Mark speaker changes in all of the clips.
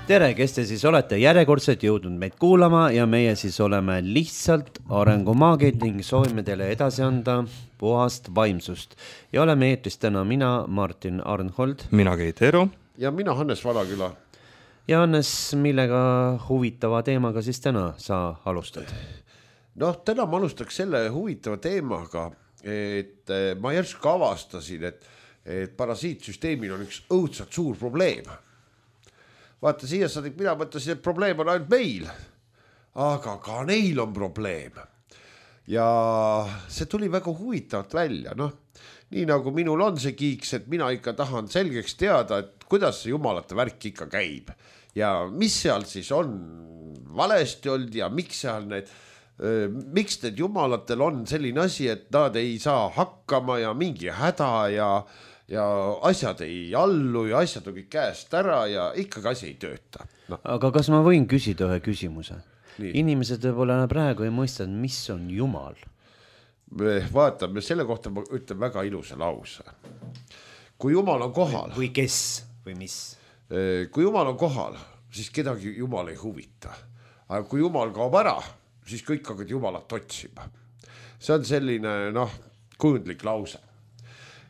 Speaker 1: Tere, kes te siis olete järjekordselt jõudnud meid kuulama ja meie siis oleme lihtsalt arengumaagid ning soovime teile edasi anda puhast vaimsust. Ja oleme eetris täna mina, Martin Arnhold.
Speaker 2: Mina Keit Eero.
Speaker 3: Ja mina Hannes Valaküla.
Speaker 1: Ja Hannes, millega huvitava teemaga siis täna sa alustad?
Speaker 3: Täna ma alustaks selle huvitava teemaga, et ma järsku avastasin, et parasiitsüsteemil on üks õudselt suur probleem. Vaata, siia saadik mina mõtlesin, et probleem on ainult meil, aga ka neil on probleem. Ja see tuli väga huvitavalt välja. Nii nagu minul on see kiiks, et mina ikka tahan selgeks teada, et kuidas see jumalate värk ikka käib. Ja mis seal siis on valesti olnud ja miks need jumalatel on selline asi, et nad ei saa hakkama ja mingi häda ja asjad ei allu ja asjad on kõik käest ära ja ikkagi asi ei tööta.
Speaker 1: Aga kas ma võin küsida ühe küsimuse? Nii. Inimesed võib-olla praegu ei mõista, mis on Jumal.
Speaker 3: Vaatame, selle kohta ma ütlen väga ilusa lause. Kui Jumal on kohal...
Speaker 1: Või kes või mis?
Speaker 3: Kui Jumal on kohal, siis kedagi Jumal ei huvita. Aga kui Jumal kaob ära, siis kõik hakkavad Jumalat otsima. See on selline, kujundlik lause.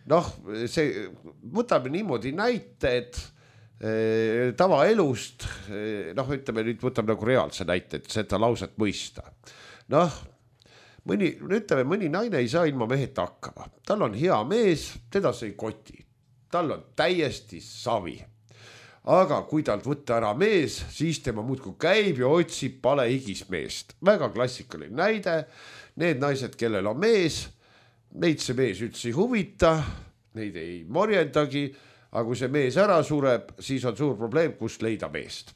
Speaker 3: Võtame niimoodi näite, et tavaelust, ütleme nüüd võtame nagu reaalse näite, et seda lauset mõista. Mõni naine ei saa ilma meheta hakkama. Tal on hea mees, teda see ei koti. Tal on täiesti savi. Aga kui talt võtta ära mees, siis tema muudkui käib ja otsib palehigis meest. Väga klassikaline näide. Need naised, kellel on mees, neid see mees üldse ei huvita, neid ei morjendagi, aga kui see mees ära sureb, siis on suur probleem, kust leida meest.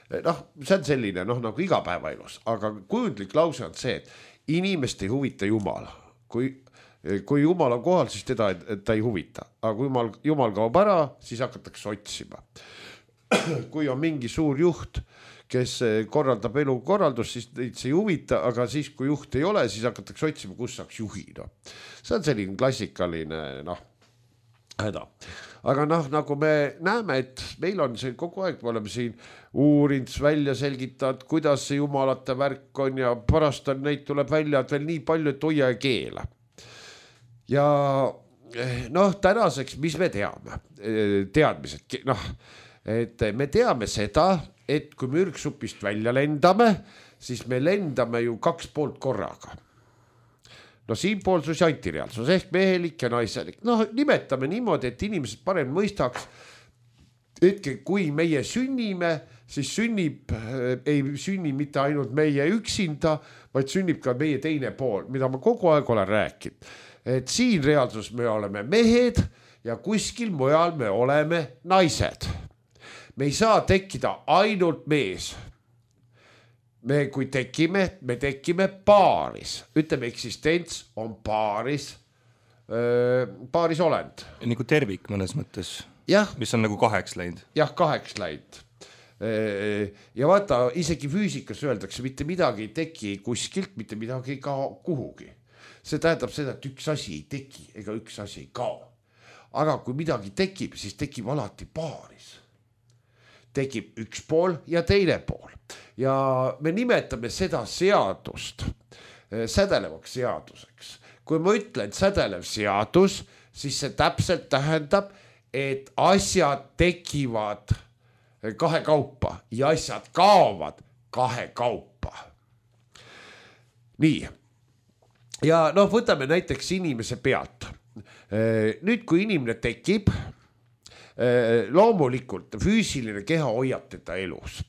Speaker 3: See on selline, nagu igapäevaelus, aga kujundlik lause on see, et inimest ei huvita Jumal. Kui Jumal on kohal, siis teda ta ei huvita, aga kui Jumal kaob ära, siis hakatakse otsima. Kui on mingi suur juht, kes korraldab elukorraldust, siis neid see ei huvita, aga siis kui juht ei ole, siis hakatakse otsima, kus saaks juhi. See on selline klassikaline häda. Aga nagu me näeme, et meil on see kogu aeg, me oleme siin uurinud, välja selgitanud, kuidas see jumalate värk on ja pärast on neid tuleb välja, et veel nii palju, et hoia ja keela. Ja tänaseks, mis me teame? Teadmised, et me teame seda, et kui me ürgsupist välja lendame, siis me lendame ju 2 poolt korraga. Siinpoolsus ja antireaalsus ehk mehelik ja naiselik. Nimetame niimoodi, et inimesed parem mõistaks, et kui meie sünnime, siis ei sünni mitte ainult meie üksinda, vaid sünnib ka meie teine pool, mida ma kogu aeg olen rääkinud. Et siin reaalsus me oleme mehed ja kuskil mujal me oleme naised. Me ei saa tekkida ainult mees. Kui me tekime paaris. Ütleme, eksistents on paaris olend.
Speaker 2: Nagu tervik mõnes mõttes, mis on nagu 2 läinud.
Speaker 3: Jah, 2 läinud. Ja vaata, isegi füüsikas öeldakse, mitte midagi ei teki kuskilt, mitte midagi ei kao kuhugi. See tähendab seda, et üks asi ei teki ega üks asi ei kao. Aga kui midagi tekib, siis tekib alati paaris. Tekib üks pool ja teine pool. Ja me nimetame seda seadust sädelevaks seaduseks. Kui ma ütlen sädelev seadus, siis see täpselt tähendab, et asjad tekivad 2 kaupa ja asjad kaovad 2 kaupa. Nii. Ja võtame näiteks inimese pealt. Nüüd, kui inimene tekib, loomulikult füüsiline keha hoiab teda elus.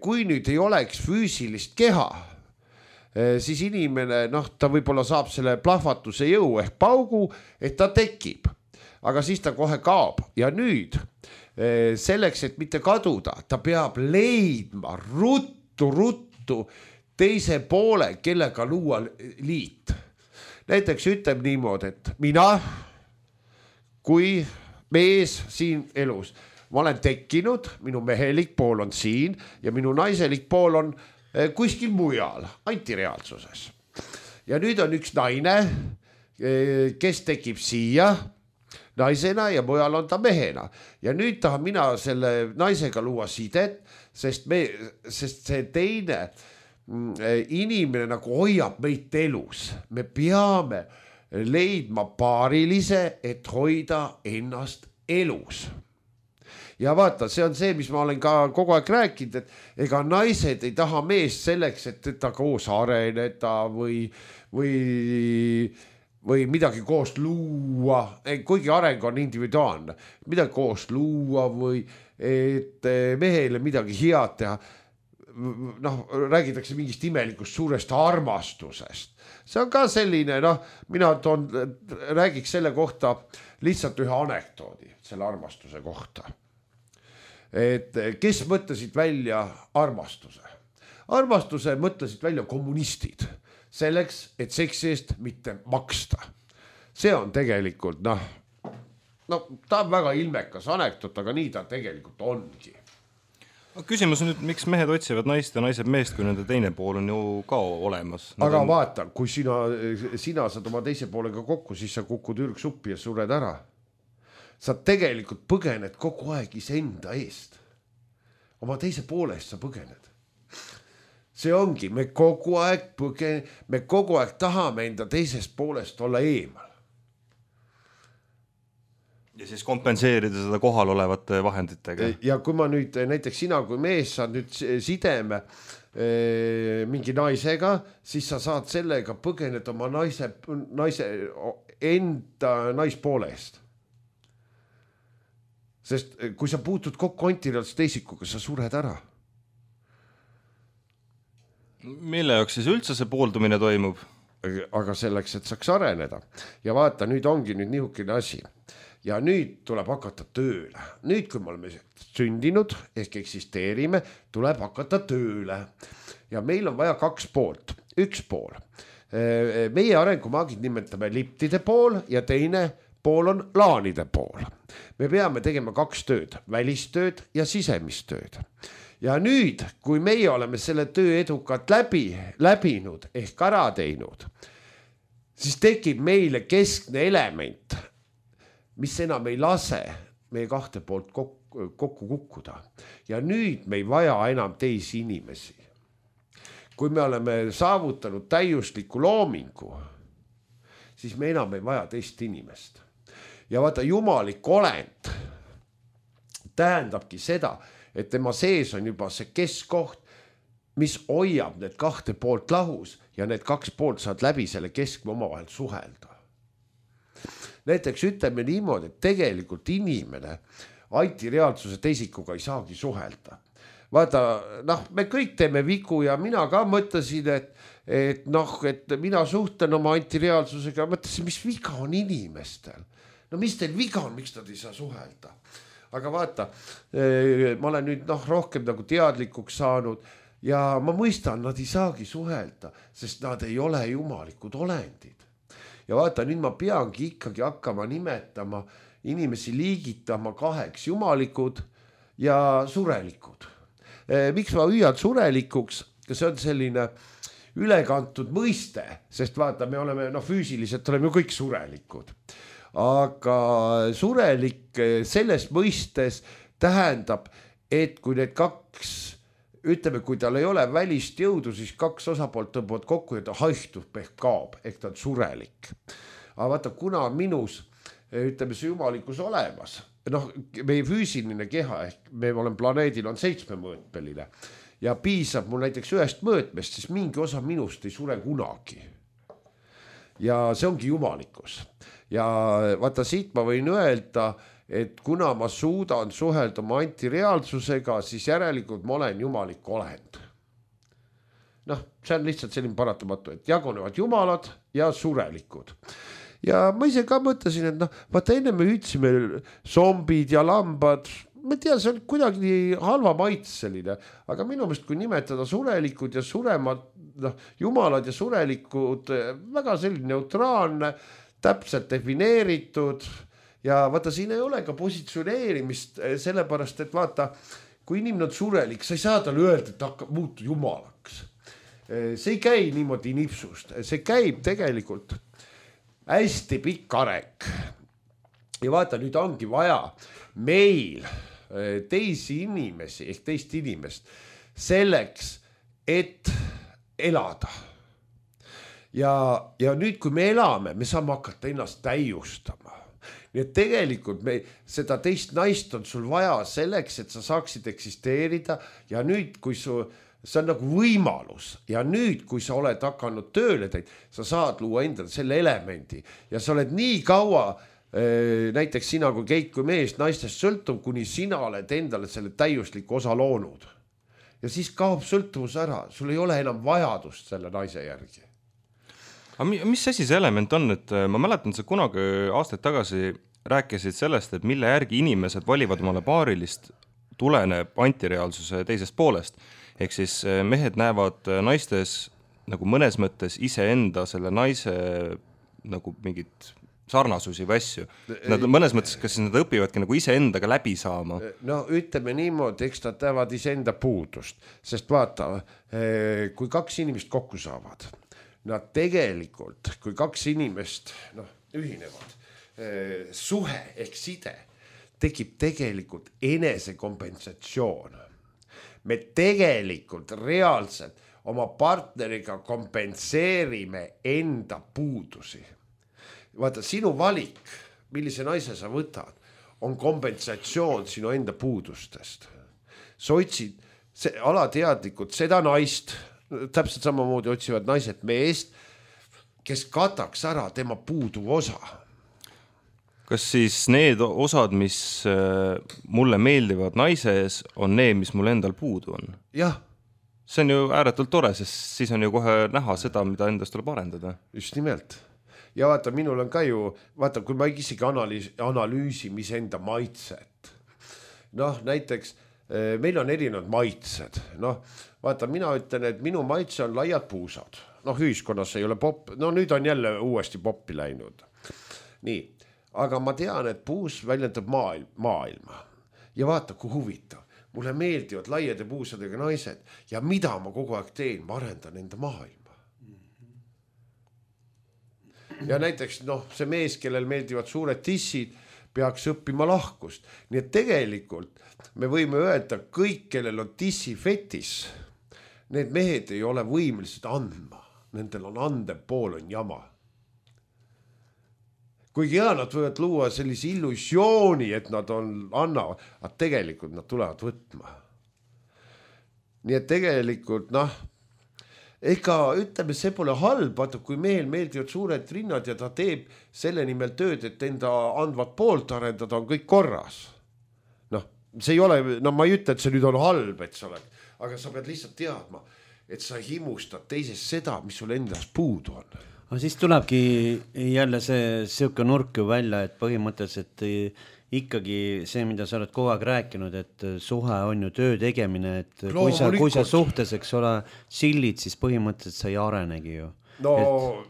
Speaker 3: Kui nüüd ei oleks füüsilist keha, siis inimene, ta võib-olla saab selle plahvatuse jõu ehk paugu, et ta tekib, aga siis ta kohe kaob. Ja nüüd selleks, et mitte kaduda, ta peab leidma ruttu teise poole, kellega luua liit. Näiteks ütleb niimoodi, et mina, kui mees siin elus, ma olen tekkinud, minu mehelik pool on siin ja minu naiselik pool on kuskil mujal, antireaalsuses. Ja nüüd on üks naine, kes tekib siia, naisena ja mujal on ta mehena. Ja nüüd tahan mina selle naisega luua sidet, sest see teine inimene nagu hoiab meid elus. Me peame leidma paarilise, et hoida ennast elus. Ja vaata, see on see, mis ma olen ka kogu aeg rääkinud, et ega naised ei taha meest selleks, et ta koos areneda või midagi koos luua, kuigi areng on individuaalne, midagi koos luua või et mehele midagi head teha. Noh, räägitakse mingist imelikust suurest armastusest. See on ka selline, mina räägiks selle kohta lihtsalt ühe anekdoodi selle armastuse kohta. Et kes mõtlesid välja armastuse? Armastuse mõtlesid välja kommunistid selleks, et seksi eest mitte maksta. See on tegelikult, ta on väga ilmekas anekdoot, aga nii ta tegelikult ongi.
Speaker 2: Küsimus on nüüd, miks mehed otsivad naist ja naised meest, kui nende teine pool on ju ka olemas?
Speaker 3: Aga vaata, kui sina saad oma teise poolega kokku, siis sa kukud ürgsuppi ja sured ära. Sa tegelikult põgened kogu aeg iseenda eest. Oma teise poole eest sa põgened. See ongi, me kogu aeg tahame enda teisest poolest olla eemal.
Speaker 2: Ja siis kompenseerida seda kohal olevate vahenditega.
Speaker 3: Ja kui ma nüüd, näiteks sina kui mees saad nüüd sideme mingi naisega, siis sa saad sellega põgened oma naise enda naispoole eest. Sest kui sa puutud kokku antireaalse teisikuga, sa sured ära.
Speaker 2: Mille jaoks siis üldse see pooldumine toimub?
Speaker 3: Aga selleks, et saaks areneda. Ja vaata, nüüd ongi nihukene asi. Ja nüüd tuleb hakata tööle. Nüüd, kui me oleme sündinud ehk eksisteerime, tuleb hakata tööle. Ja meil on vaja 2 poolt. 1 pool. Meie arengumaagid nimetame liptide pool ja teine pool on laanide pool. Me peame tegema 2 tööd, välistööd ja sisemistööd. Ja nüüd, kui meie oleme selle töö edukalt läbinud ehk ära teinud, siis tekib meile keskne element, mis enam ei lase meie 2 poolt kokku kukkuda. Ja nüüd me ei vaja enam teisi inimesi. Kui me oleme saavutanud täiusliku loomingu, siis me enam ei vaja teist inimest. Ja vaata, jumalik olend tähendabki seda, et tema sees on juba see keskkoht, mis hoiab need 2 poolt lahus ja need 2 poolt saad läbi selle keskme omavahel suhelda. Näiteks ütleme niimoodi, et tegelikult inimene antireaalsuse teisikuga ei saagi suhelda. Vaata, me kõik teeme vigu ja mina ka mõtlesin, et mina suhtlen oma antireaalsusega, mõtlesin, mis viga on inimestel. Mis teil viga on, miks nad ei saa suhelda? Aga vaata, ma olen nüüd rohkem nagu teadlikuks saanud ja ma mõistan, nad ei saagi suhelda, sest nad ei ole jumalikud olendid. Ja vaata, nüüd ma peangi ikkagi hakkama nimetama inimesi liigitama 2 jumalikud ja surelikud. Miks ma hüüan surelikuks? See on selline ülekantud mõiste, sest vaata, me oleme füüsiliselt oleme ju kõik surelikud. Aga surelik selles mõistes tähendab, et kui need 2, ütleme, kui tal ei ole välist jõudu, siis 2 osapoolt tõmbavad kokku ja ta haihtub ehk kaob, ehk ta on surelik. Aga vaata, kuna minus, ütleme, see jumalikkus olemas, meie füüsiline keha, ehk me oleme planeedil on 7-mõõtmeline ja piisab mul näiteks 1 mõõtmest, siis mingi osa minust ei sure kunagi. Ja see ongi jumalikkus. Ja vaata, siit ma võin öelda, et kuna ma suudan suhelda oma antireaalsusega, siis järelikult ma olen jumalik olend. See on lihtsalt selline paratamatu, et jagunevad jumalad ja surelikud. Ja ma ise ka mõtlesin, et vaata, enne me hüüdsime zombid ja lambad, ma tea, see on kuidagi halva maitseline, aga minu meelest, kui nimetada surelikud ja suremad, jumalad ja surelikud, väga selline neutraalne, täpselt defineeritud ja vaata, siin ei ole ka positsioneerimist, sellepärast, et vaata, kui inimene on surelik, sa ei saa talle öelda, et ta hakkab muutu jumalaks. See ei käi niimoodi nipsust, see käib tegelikult hästi pikk areng. ja vaata, nüüd ongi vaja meil teisi inimesi ehk teist inimest selleks, et elada. Ja nüüd, kui me elame, me saame hakata ennast täiustama. Nii et tegelikult seda teist naist on sul vaja selleks, et sa saaksid eksisteerida ja nüüd, kui see on nagu võimalus ja nüüd, kui sa oled hakanud tööle teid, sa saad luua endale selle elemendi ja sa oled nii kaua, näiteks sina kui Keit kui mees naistest sõltuv, kuni sina oled endale selle täiusliku osa loonud. Ja siis kaob sõltuvus ära, sul ei ole enam vajadust selle naise järgi.
Speaker 2: Aga mis asi see element on, et ma mäletan, sa kunagi aastaid tagasi rääkisid sellest, et mille järgi inimesed valivad omale paarilist tuleneb antireaalsuse teisest poolest. Ehk siis mehed näevad naistes nagu mõnes mõttes iseenda selle naise nagu mingit sarnasusi või asju. Nad mõnes mõttes, kas nad õpivadki nagu iseendaga läbi saama?
Speaker 3: No ütleme niimoodi, eks nad teavad iseenda puudust, sest vaata, kui kaks inimest kokku saavad, nad tegelikult, kui kaks inimest ühinevad, suhe ehk side tekib tegelikult enesekompensatsioon. Me tegelikult reaalselt oma partneriga kompenseerime enda puudusi. Vaata, sinu valik, millise naise sa võtad, on kompensatsioon sinu enda puudustest. Sa otsid alateadlikult seda naist, täpselt samamoodi otsivad naised meest, kes kataks ära tema puuduv osa.
Speaker 2: Kas siis need osad, mis mulle meeldivad naises, on need, mis mul endal puudu on?
Speaker 3: Jah.
Speaker 2: See on ju ääretult tore, sest siis on ju kohe näha seda, mida endast tuleb arendada.
Speaker 3: Just nimelt. Ja vaata, minul on ka ju, vaata, kui ma isegi analüüsin mis enda maitset. Näiteks meil on erinevad maitsed. Vaata, mina ütlen, et minu maitse on laiad puusad. Ühiskonnas ei ole popp. Nüüd on jälle uuesti poppi läinud. Nii, aga ma tean, et puus väljendab maailma. Ja vaata, kui huvitav. Mulle meeldivad laiade puusadega naised ja mida ma kogu aeg teen, ma arendan enda maailma. Ja näiteks see mees, kellel meeldivad suured tissid, peaks õppima lahkust. Nii et tegelikult me võime öelda, kõik, kellel on tissifetis, need mehed ei ole võimelised andma. Nendel on andev pool on jama. Kuigi nad võivad luua sellise illusiooni, et nad annavad, aga tegelikult nad tulevad võtma. Nii et tegelikult, ega ütleme, see pole halb, vaata, kui mehel meeldivad suured rinnad ja ta teeb selle nimel tööd, et enda andvat poolt arendada, on kõik korras. See ei ole, ma ei ütle, et see nüüd on halb, et sa oled, aga sa pead lihtsalt teadma, et sa himustad teisest seda, mis sul endas puudu on.
Speaker 1: Aga siis tulebki jälle see siuke nurk ju välja, et põhimõtteliselt ikkagi see, mida sa oled kogu aeg rääkinud, et suhe on ju töö tegemine, et kui sa suhtes, eks ole, sillid, siis põhimõtteliselt sa ei arenegi ju.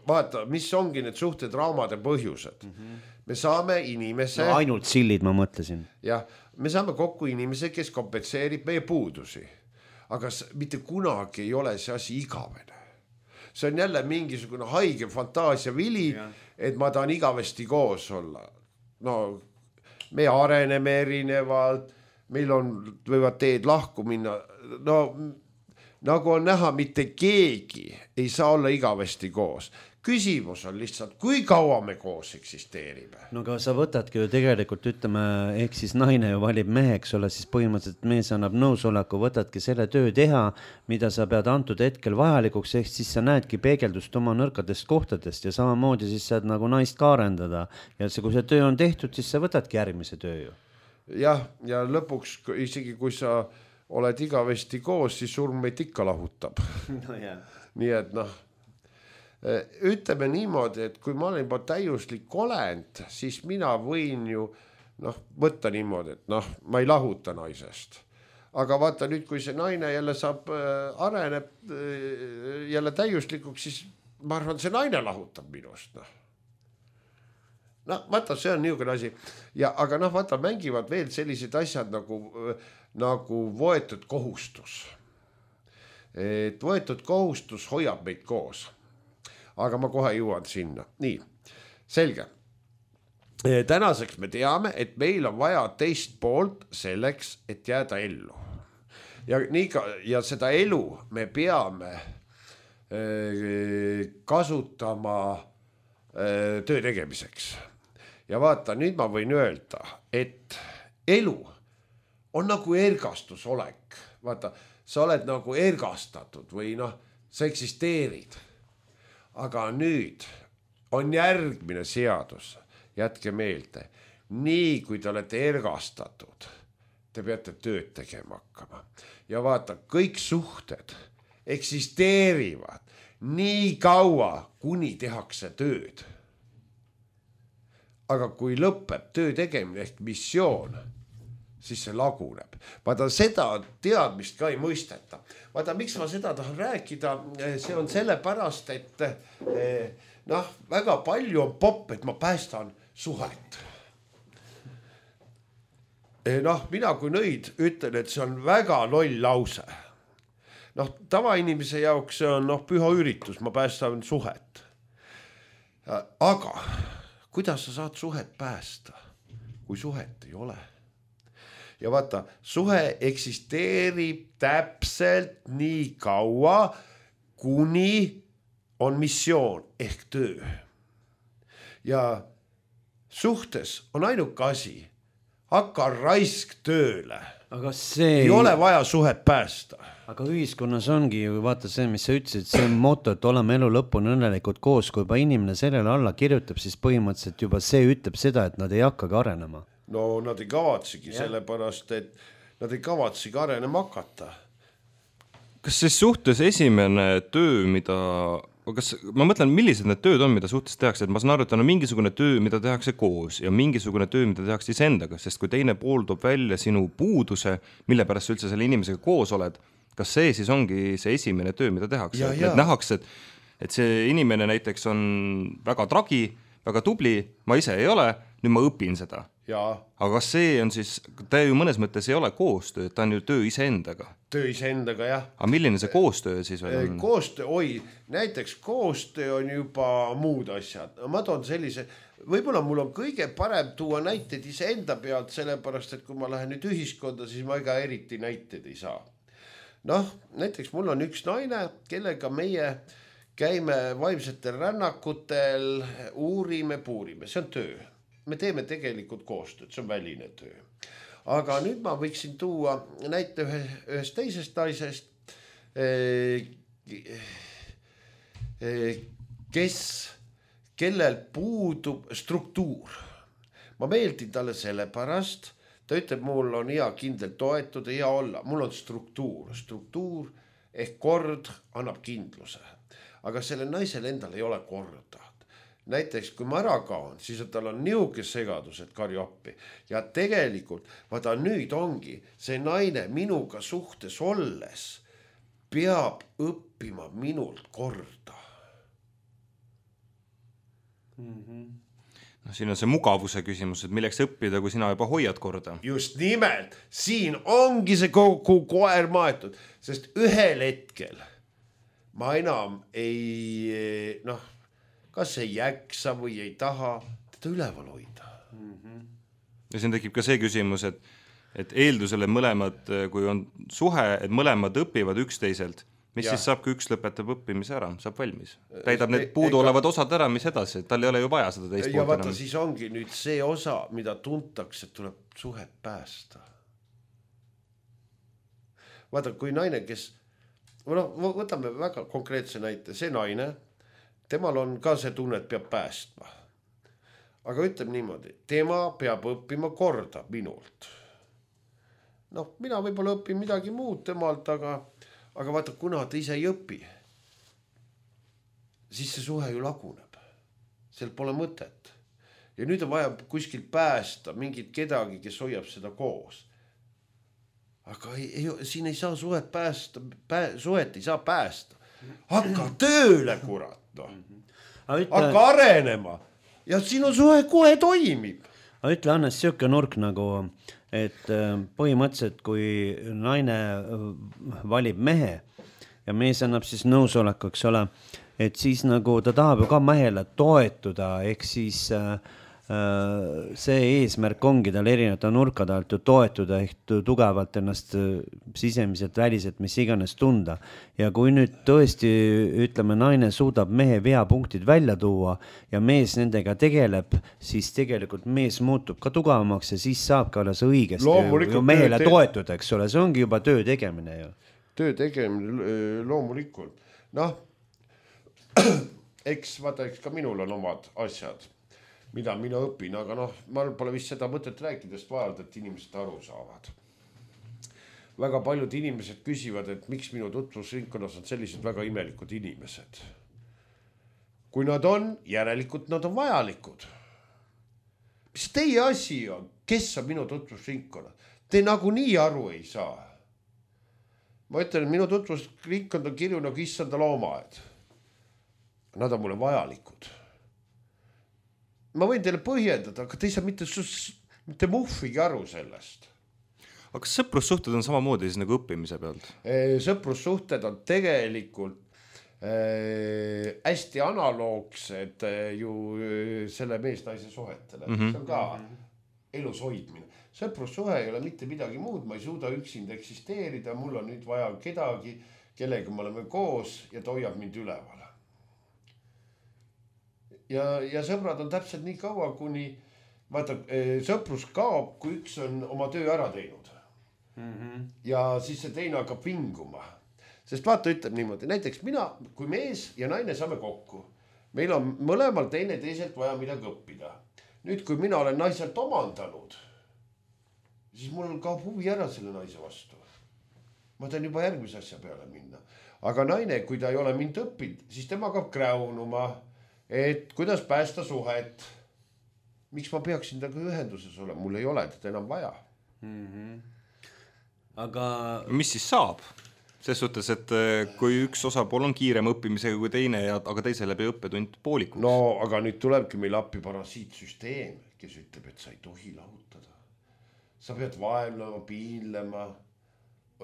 Speaker 3: Vaata, mis ongi need suhted raamade põhjused. Me saame inimese...
Speaker 1: ainult sillid, ma mõtlesin.
Speaker 3: Jah, me saame kokku inimese, kes kompenseerib meie puudusi. Aga mitte kunagi ei ole see asi igavene. See on jälle mingisugune haige fantaasia vili, et ma tahan igavesti koos olla. Me areneme erinevalt, meil võivad teed lahku minna. Nagu on näha, mitte keegi ei saa olla igavesti koos. Küsimus on lihtsalt, kui kaua me koos eksisteerime.
Speaker 1: Aga sa võtadki ju tegelikult, ütleme, ehk siis naine ju valib meheks olla, siis põhimõtteliselt mees annab nõusoleku, võtadki selle töö teha, mida sa pead antud hetkel vajalikuks, ehk siis sa näedki peegeldust oma nõrkadest kohtadest ja samamoodi siis saad nagu naist ka arendada. Ja kui see töö on tehtud, siis sa võtadki järgmise töö ju.
Speaker 3: Jah, ja lõpuks isegi kui sa oled igavesti koos, siis surm meid ikka lahutab. Nii et ütleme niimoodi, et kui ma olen juba täiuslik olend, siis mina võin ju võtta niimoodi, et ma ei lahuta naisest. Aga vaata nüüd, kui see naine jälle areneb jälle täiuslikuks, siis ma arvan, see naine lahutab minust. Vaata, see on niisugune asi. Aga vaata, mängivad veel sellised asjad nagu võetud kohustus. Et võetud kohustus hoiab meid koos. Aga ma kohe jõuan sinna. Nii, selge. tänaseks me teame, et meil on vaja teist poolt selleks, et jääda ellu. Ja seda elu me peame kasutama töö tegemiseks. Ja vaata, nüüd ma võin öelda, et elu on nagu ergastusolek. Vaata, sa oled nagu ergastatud või sa eksisteerid. Aga nüüd on järgmine seadus. Jätke meelde, nii kui te olete ergastatud, te peate tööd tegema hakkama. Ja vaata, kõik suhted eksisteerivad nii kaua, kuni tehakse tööd. Aga kui lõpeb töö tegemine ehk missioon, siis see laguneb. Vaata, seda teadmist ka ei mõisteta. Vaata, miks ma seda tahan rääkida, see on sellepärast, et väga palju on popp, et ma päästan suhet. Mina kui nõid ütlen, et see on väga loll lause. Tavainimese jaoks see on püha üritus, ma päästan suhet. Aga kuidas sa saad suhet päästa, kui suhet ei ole? Ja vaata, suhe eksisteerib täpselt nii kaua, kuni on missioon ehk töö. Ja suhtes on ainuke asi, hakka raisk tööle.
Speaker 1: Aga see
Speaker 3: ei ole vaja suhet päästa.
Speaker 1: Aga ühiskonnas ongi ju, vaata see, mis sa ütlesid, see on moto, et oleme elu lõpuni õnnelikult koos, kui juba inimene sellele alla kirjutab, siis põhimõtteliselt juba see ütleb seda, et nad ei hakkagi arenema.
Speaker 3: No nad ei kavatsegi, sellepärast, et nad ei kavatsegi arenema hakata.
Speaker 2: Kas siis suhtes esimene töö, ma mõtlen, millised need tööd on, mida suhtes tehakse, et ma saan aru, et on mingisugune töö, mida tehakse koos ja mingisugune töö, mida tehakse iseendaga, sest kui teine pool toob välja sinu puuduse, mille pärast sa üldse selle inimesega koos oled, kas see siis ongi see esimene töö, mida tehakse? Et nähakse, et see inimene näiteks on väga tragi, väga tubli, ma ise ei ole, nüüd ma õpin seda. Aga kas see on siis, ta ju mõnes mõttes ei ole koostöö, ta on ju töö iseendaga.
Speaker 3: Töö iseendaga, jah.
Speaker 2: Aga milline see koostöö siis veel on?
Speaker 3: Koostöö, näiteks koostöö on juba muud asjad. Ma toon sellise, võib-olla mul on kõige parem tuua näiteid iseenda pealt, sellepärast, et kui ma lähen nüüd ühiskonda, siis ma ega eriti näiteid ei saa. Näiteks mul on üks naine, kellega meie käime vaimsetel rännakutel, uurime, puurime, see on töö. Me teeme tegelikult koostööd, see on väline töö. Aga nüüd ma võiksin tuua näite ühest teisest naisest, kellel puudub struktuur. Ma meeldin talle sellepärast, ta ütleb, mul on hea kindlalt toetuda, hea olla, mul on struktuur. Struktuur ehk kord annab kindluse. Aga selle naisel endal ei ole korda. Näiteks kui ma ära kaon, siis tal on niuke segadus, et karju appi. Ja tegelikult, vaata nüüd ongi see naine minuga suhtes olles peab õppima minult korda.
Speaker 2: Siin on see mugavuse küsimus, et milleks õppida, kui sina juba hoiad korda.
Speaker 3: Just nimelt, siin ongi see kogu koer maetud, sest ühel hetkel ma enam ei, kas ei jaksa või ei taha teda üleval hoida.
Speaker 2: Ja siin tekib ka see küsimus, et eeldusele mõlemad, kui on suhe, et mõlemad õpivad üksteiselt, mis siis saab, kui üks lõpetab õppimise ära, saab valmis. Täidab need puudu olevad osad ära, mis edasi, et tal ei ole ju vaja seda teist poolt enam.
Speaker 3: Ja vaata, siis ongi nüüd see osa, mida tuntakse, tuleb suhet päästa. Vaata, kui naine, kes, võtame väga konkreetse näite, see naine, temal on ka see tunne, et peab päästma. Aga ütleb niimoodi, tema peab õppima korda minult. Mina võib-olla õpin midagi muud temalt, aga vaata, kuna ta ise ei õpi, siis see suhe ju laguneb. Seal pole mõtet. Ja nüüd on vaja kuskil päästa mingit kedagi, kes hoiab seda koos. Aga siin ei saa suhet päästa, suhet ei saa päästa. Hakka tööle, kurat. Hakka arenema ja sinu suhe kohe toimib.
Speaker 1: Aga ütle, Hannes, siuke nurk nagu, et põhimõtteliselt, kui naine valib mehe ja mees annab siis nõusoleku, eks ole, et siis nagu ta tahab ju ka mehele toetuda, ehk siis see eesmärk ongi tal erinevate nurkade alt ju toetuda ehk tugevalt ennast sisemiselt, väliselt, mis iganes tunda. Ja kui nüüd tõesti, ütleme, naine suudab mehe veapunktid välja tuua ja mees nendega tegeleb, siis tegelikult mees muutub ka tugevamaks ja siis saab ka alles õigesti ju mehele toetuda, eks ole, see ongi juba töö tegemine ju.
Speaker 3: Töö tegemine loomulikult. Noh, eks ka minul on omad asjad, mida mina õpin, aga noh, ma pole vist seda mõtet rääkidest vajalt, et inimesed aru saavad. Väga paljud inimesed küsivad, et miks minu tutvusringkonnas on sellised väga imelikud inimesed. Kui nad on, järelikult nad on vajalikud. Mis teie asi on? Kes on minu tutvusringkonna? Te nagu nii aru ei saa. Ma ütlen, et minu tutvusringkond on kirju nagu issanda loomaed. Nad on mulle vajalikud. Ma võin teile põhjendada, aga te ei saa mitte muhvigi aru sellest.
Speaker 2: Aga kas sõprussuhted on samamoodi siis nagu õppimise pealt?
Speaker 3: Sõprussuhted on tegelikult hästi analoogsed ju selle mees-naise suhetele. See on ka elus hoidmine. Sõprussuhe ei ole mitte midagi muud, ma ei suuda üksinda eksisteerida, mul on nüüd vaja kedagi, kellega me oleme koos ja ta hoiab mind üleval. Ja sõbrad on täpselt nii kaua, kuni vaata, sõprus kaob, kui üks on oma töö ära teinud. Ja siis see teine hakkab vinguma. Sest vaata, ütleb niimoodi, näiteks mina, kui mees ja naine saame kokku, meil on mõlemal teine teiselt vaja midagi õppida. Nüüd, kui mina olen naiselt omandanud, siis mul kaob huvi ära selle naise vastu. Ma tahan juba järgmise asja peale minna. Aga naine, kui ta ei ole mind õppinud, siis tema hakkab kräunuma, et kuidas päästa suhet. Miks ma peaksin taga ühenduses olema? Mul ei ole teda enam vaja.
Speaker 1: Aga
Speaker 2: mis siis saab? Ses suhtes, et kui üks osapool on kiirem õppimisega kui teine, aga teise läbi õppetund poolikuks.
Speaker 3: No, aga nüüd tulebki meil appi parasiitsüsteem, kes ütleb, et sa ei tohi lahutada. Sa pead vaevlema, piinlema,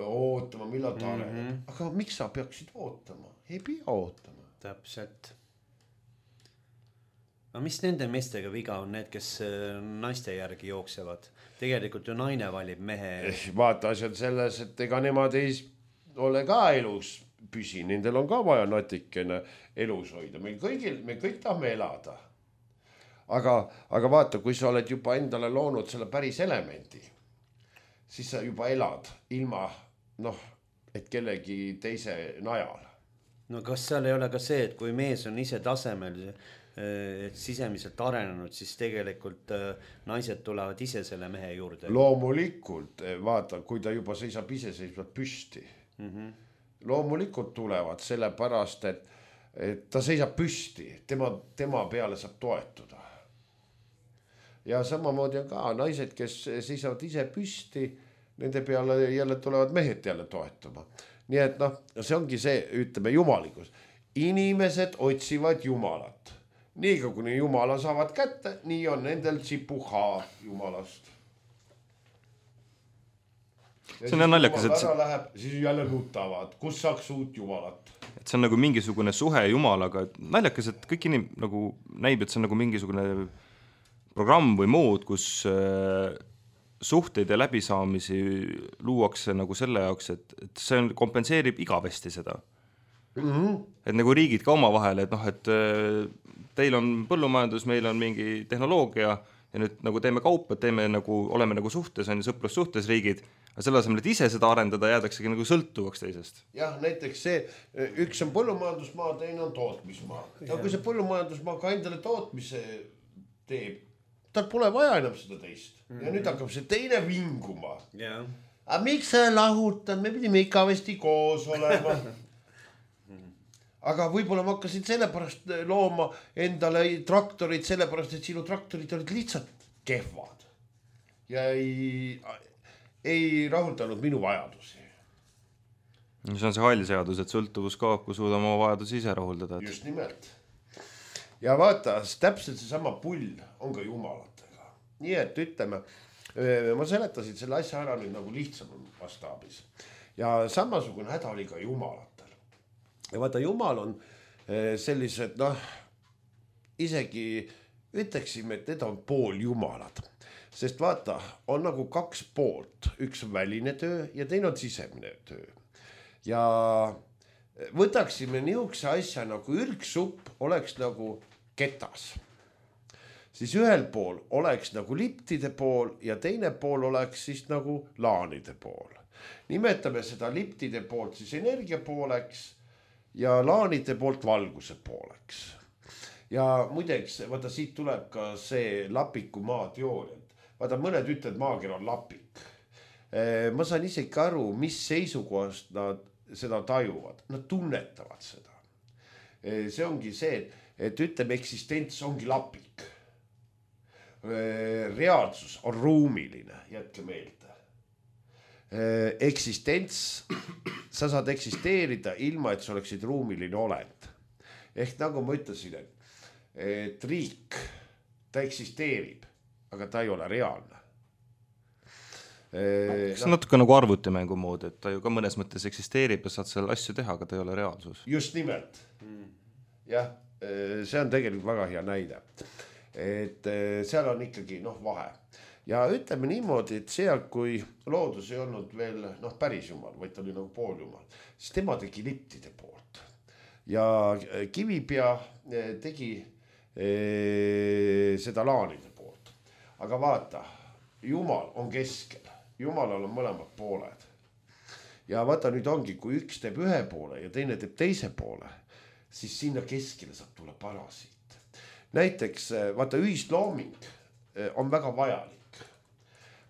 Speaker 3: ootama, millal ta areneb. Aga miks sa peaksid ootama? Ei pea ootama.
Speaker 1: Täpselt. No mis nende meestega viga on need, kes naiste järgi jooksevad? Tegelikult ju naine valib mehe.
Speaker 3: Vaata asjad selles, et ega nemad ei ole ka elus püsi. Nendel on ka vaja natikene elus hoida. Me kõik tahame elada. Aga vaata, kui sa oled juba endale loonud selle päris elemendi, siis sa juba elad ilma, et kellegi teise najal.
Speaker 1: No kas seal ei ole ka see, et kui mees on ise tasemel, et sisemiselt arenenud, siis tegelikult naised tulevad ise selle mehe juurde?
Speaker 3: Loomulikult, vaata, kui ta juba seisab iseseisvalt püsti. Loomulikult tulevad sellepärast, et ta seisab püsti, tema peale saab toetuda. Ja samamoodi on ka naised, kes seisavad ise püsti, nende peale jälle tulevad mehed jälle toetuma. Nii et see ongi see, ütleme, jumalikus. Inimesed otsivad jumalat. Nii kuni jumala saavad kätte, nii on nendel tsipuhaa jumalast. Ja see on
Speaker 2: naljakas, et
Speaker 3: läheb, siis jälle nutavad, kus saaks uut jumalat.
Speaker 2: Et see on nagu mingisugune suhe jumalaga. Naljakas, et kõik nagu näib, et see on nagu mingisugune programm või mood, kus suhteid ja läbisaamisi luuakse nagu selle jaoks, et see kompenseerib igavesti seda. Et nagu riigid ka oma vahel, et teil on põllumajandus, meil on mingi tehnoloogia ja nüüd nagu teeme kaupa, oleme nagu suhtes, on sõprus suhtes riigid, aga selle asemel, et ise seda arendada, jäädaksegi nagu sõltuvaks teisest.
Speaker 3: Jah, näiteks see, üks on põllumajandusmaa, teine on tootmismaa. Ja kui see põllumajandusmaa ka endale tootmise teeb, tal pole vaja enam seda teist. Ja nüüd hakkab see teine vinguma. Aga miks sa lahutad? Me pidime ikavesti koos olema. Aga võib-olla ma hakkasin sellepärast looma endale traktorid, sellepärast, et sinu traktorid olid lihtsalt kehvad. Ja ei rahuldanud minu vajadusi.
Speaker 2: See on see hall seadus, et sõltuvus kaob, kui suudame oma vajadusi ise rahuldada.
Speaker 3: Just nimelt. Ja vaata, täpselt see sama pull on ka jumalatega. Nii et ütleme, ma seletasin selle asja ära nüüd nagu lihtsam vastaabis. Ja samasugune häda oli ka jumalatel. Ja vaata, jumal on sellised, isegi ütleksime, et need on pooljumalad, sest vaata, on nagu kaks poolt, üks on väline töö ja teine on sisemine töö. Ja võtaksime niisuguse asja nagu ürgsupp oleks nagu ketas. Siis ühel pool oleks nagu liptide pool ja teine pool oleks siis nagu laanide pool. Nimetame seda liptide poolt siis energia pooleks ja laanide poolt valguse pooleks. Ja muideks, vaata siit tuleb ka see lapiku maateooria. Vaata mõned ütlevad, maager on lapik. Ma saan isegi aru, mis seisukohast nad seda tajuvad. Nad tunnetavad seda. See ongi see, et ütleme, eksistents ongi lapik. Reaalsus on ruumiline, jätke meelde. Eksistents, sa saad eksisteerida ilma, et sa oleksid ruumiline olend. Ehk nagu ma ütlesin, et riik, ta eksisteerib, aga ta ei ole reaalne.
Speaker 2: See on natuke nagu arvutimängu moodi, et ta ju ka mõnes mõttes eksisteerib ja saad seal asju teha, aga ta ei ole reaalsus.
Speaker 3: Just nimelt. Jah, see on tegelikult väga hea näide. Et seal on ikkagi vahe. Ja ütleme niimoodi, et seal, kui loodus ei olnud veel päris jumal, vaid ta oli nagu pooljumal, siis tema tegi liptide poolt. Ja Kivipea tegi seda laanide poolt. Aga vaata, jumal on keskel. Jumalal on mõlemad pooled. Ja vaata nüüd ongi, kui üks teeb ühe poole ja teine teeb teise poole, siis sinna keskele saab tulla parasiit. Näiteks, vaata, ühislooming on väga vajalik.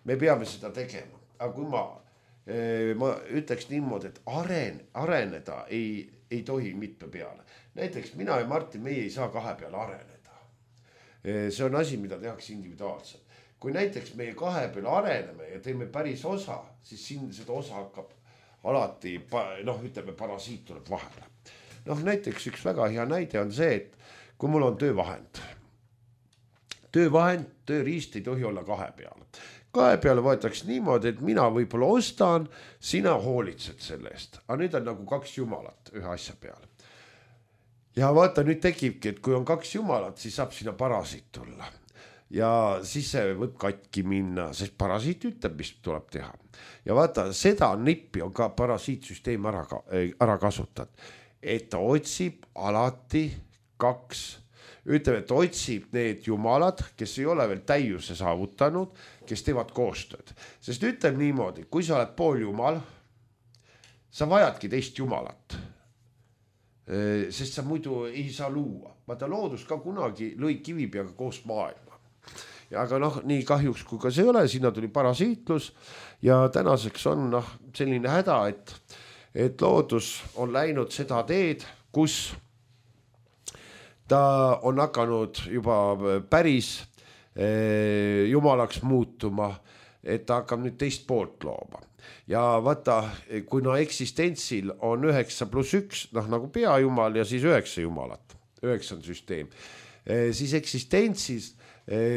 Speaker 3: Me peame seda tegema. Aga kui ma ütleks niimoodi, et areneda ei tohi mitme peale. Näiteks mina ja Martin, meie ei saa kahe peale areneda. See on asi, mida tehakse individuaalselt. Kui näiteks meie kahe peale areneme ja teeme päris osa, siis siin seda osa hakkab alati, ütleme, parasiit tuleb vahele. Näiteks üks väga hea näide on see, et kui mul on töövahend, tööriist ei tohi olla kahe peale. Kahe peale võetakse niimoodi, et mina võib-olla ostan, sina hoolitsed selle eest. Aga nüüd on nagu kaks jumalat ühe asja peale. Ja vaata, nüüd tekibki, et kui on kaks jumalat, siis saab sinna parasiit tulla. Ja siis see võib katki minna, sest parasiit ütleb, mis tuleb teha. Ja vaata, seda nippi on ka parasiitsüsteem ära kasutatud. Et ta otsib alati kaks, ütleme, et otsib need jumalad, kes ei ole veel täiuse saavutanud, kes teevad koostööd. Sest ütleb niimoodi, kui sa oled pool jumal, sa vajadki teist jumalat. Sest sa muidu ei saa luua. Vaata, loodus ka kunagi lõi Kivipeaga koos maailma. Ja aga nii kahjuks kui ka see ei ole, sinna tuli parasiitlus ja tänaseks on selline häda, et loodus on läinud seda teed, kus ta on hakanud juba päris jumalaks muutuma, et ta hakkab nüüd teist poolt looma. Ja vaata, kuna eksistentsil on 9+1, nagu peajumal ja siis 9 jumalat, 9 süsteem, siis eksistentsis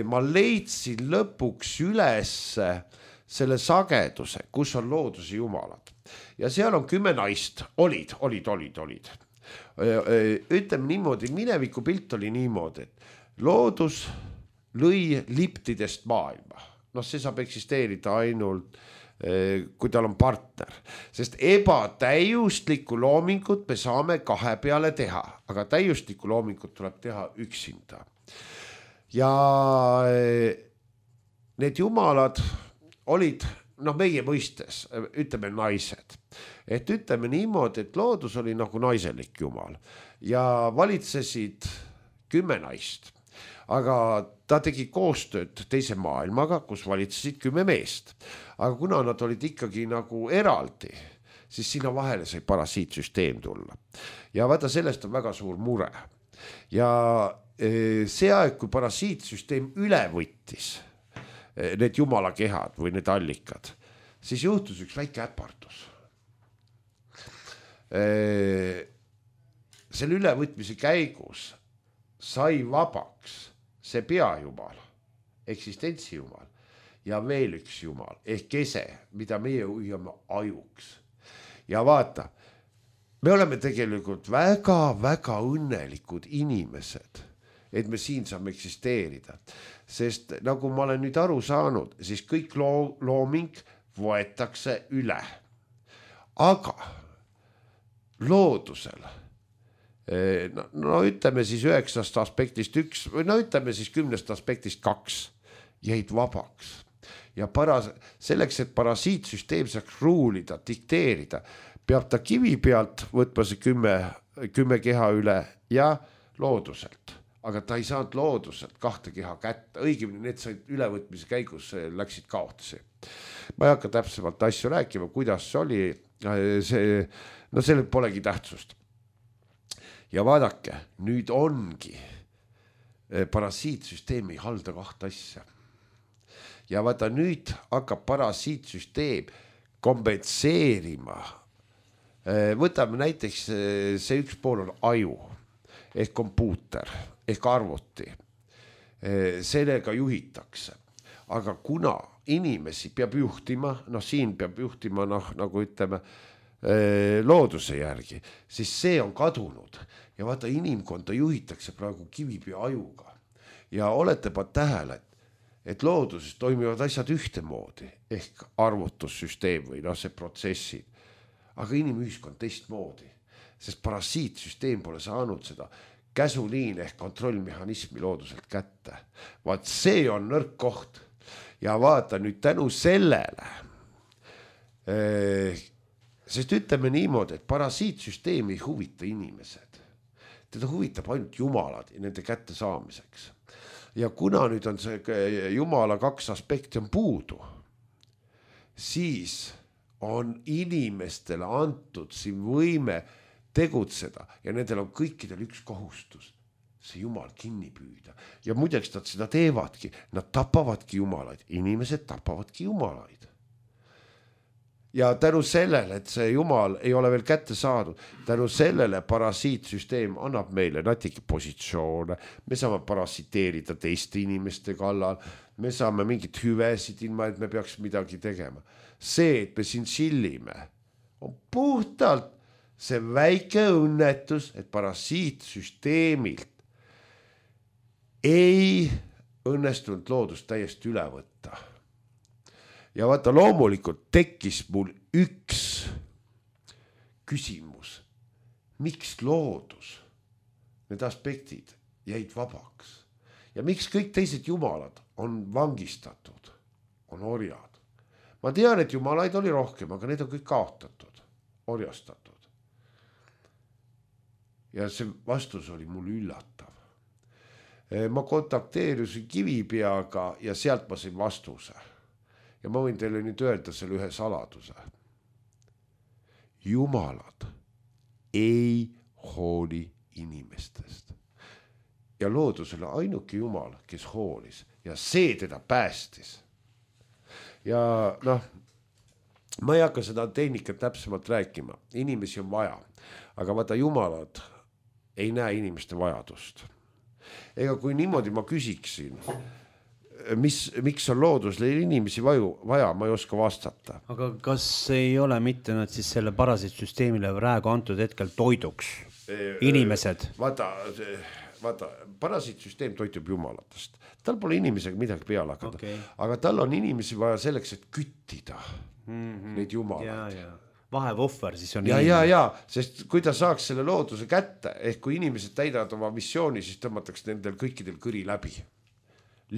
Speaker 3: ma leidsin lõpuks üles selle sageduse, kus on looduse jumalad. Ja seal on 10 naist, olid. Ütleme niimoodi, mineviku pilt oli niimoodi, et loodus lõi liptidest maailma. See saab eksisteerida ainult, kui tal on partner. Sest ebatäiuslikku loomingut me saame kahe peale teha, aga täiuslikku loomingut tuleb teha üksinda. Ja need jumalad olid, meie mõistes, ütleme naised. Et ütleme niimoodi, et loodus oli nagu naiselik jumal ja valitsesid 10 naist. Aga ta tegi koostööd teise maailmaga, kus valitsesid 10 meest. Aga kuna nad olid ikkagi nagu eraldi, siis sinna vahele sai parasiitsüsteem tulla. Ja vaata, sellest on väga suur mure. Ja see aeg, kui parasiitsüsteem üle võttis need jumala kehad või need allikad, siis juhtus üks väike äpardus. Selle ülevõtmise käigus sai vabaks see peajumal, eksistentsijumal ja veel üks jumal ehk kese, mida meie hoiame ajuks. Ja vaata, me oleme tegelikult väga-väga õnnelikud inimesed, et me siin saame eksisteerida. Sest nagu ma olen nüüd aru saanud, siis kõik looming võetakse üle. Aga loodusel, no ütleme siis 9 aspektist 1 või no ütleme siis 10 aspektist 2 jäid vabaks. Ja selleks, et parasiitsüsteem saaks ruulida, dikteerida, peab ta kivi pealt võtma see 10 keha üle ja looduselt. Aga ta ei saanud looduselt 2 keha kätte, õigemini need said ülevõtmise käigus läksid kaotsi. Ma ei hakka täpsemalt asju rääkima, kuidas see oli, no sellel polegi tähtsust. Ja vaadake, nüüd ongi parasiitsüsteem ei halda 2 asja. Ja vaata nüüd hakkab parasiitsüsteem kompenseerima. Võtame näiteks see üks pool on aju ehk kompuuter ehk arvuti. Sellega juhitakse. Aga kuna inimesi peab juhtima, no siin peab juhtima nagu ütleme looduse järgi, siis see on kadunud. Ja vaata inimkonda juhitakse praegu kivipea ajuga. Ja olete pa tähele, et looduses toimivad asjad ühtemoodi ehk arvutussüsteem või see protsessid. Aga inimühiskond teistmoodi, sest parasiitsüsteem pole saanud seda käsuliin ehk kontrollmehhanismi looduselt kätte. Vaat see on nõrk koht. Ja vaata nüüd tänu sellele, sest ütleme niimoodi, et parasiitsüsteem ei huvita inimesed. Teda huvitab ainult jumalad ja nende kätte saamiseks. Ja kuna nüüd on see jumala 2 aspekti on puudu, siis on inimestele antud siin võime tegutseda ja nendel on kõikidel üks kohustus, see jumal kinni püüda. Ja muideks nad seda teevadki, nad tapavadki jumalaid, inimesed tapavadki jumalaid. Ja tänu sellele, et see jumal ei ole veel kätte saadud, tänu sellele parasiitsüsteem annab meile natuke positsioone, me saame parasiteerida teiste inimeste kallal, me saame mingit hüvesid ilma, et me peaks midagi tegema. See, et me siin chillime, on puhtalt see väike õnnetus, et parasiitsüsteemilt ei õnnestunud loodust täiesti üle võtta. Ja vaata, loomulikult tekkis mul üks küsimus. Miks loodus, need aspektid jäid vabaks? Ja miks kõik teised jumalad on vangistatud, on orjad? Ma tean, et jumalaid oli rohkem, aga need on kõik kaotatud, orjastatud. Ja see vastus oli mul üllatav. Ma kontakteerusin Kivipeaga ja sealt ma sain vastuse. Ja ma võin teile nüüd öelda selle ühe saladuse. Jumalad ei hooli inimestest. Ja loodusele ainuke jumal, kes hoolis ja see teda päästis. Ja ma ei hakka seda tehnikat täpsemalt rääkima, inimesi on vaja, aga vaata jumalad ei näe inimeste vajadust. Ega kui niimoodi ma küsiksin, miks on loodusle inimesi vaja, ma ei oska vastata.
Speaker 1: Aga kas ei ole mitte nad siis selle parasiitsüsteemile praegu antud hetkel toiduks? Inimesed?
Speaker 3: Vaata, parasiitsüsteem toitub jumalatest. Tal pole inimesega midagi peale hakata. Okay. Aga tal on inimesi vaja selleks, et küttida neid jumalaid.
Speaker 1: Vahevohver siis on
Speaker 3: ja, sest kui ta saaks selle looduse kätte, ehk kui inimesed täidavad oma missiooni, siis tõmmataks nendel kõikidel kõri läbi.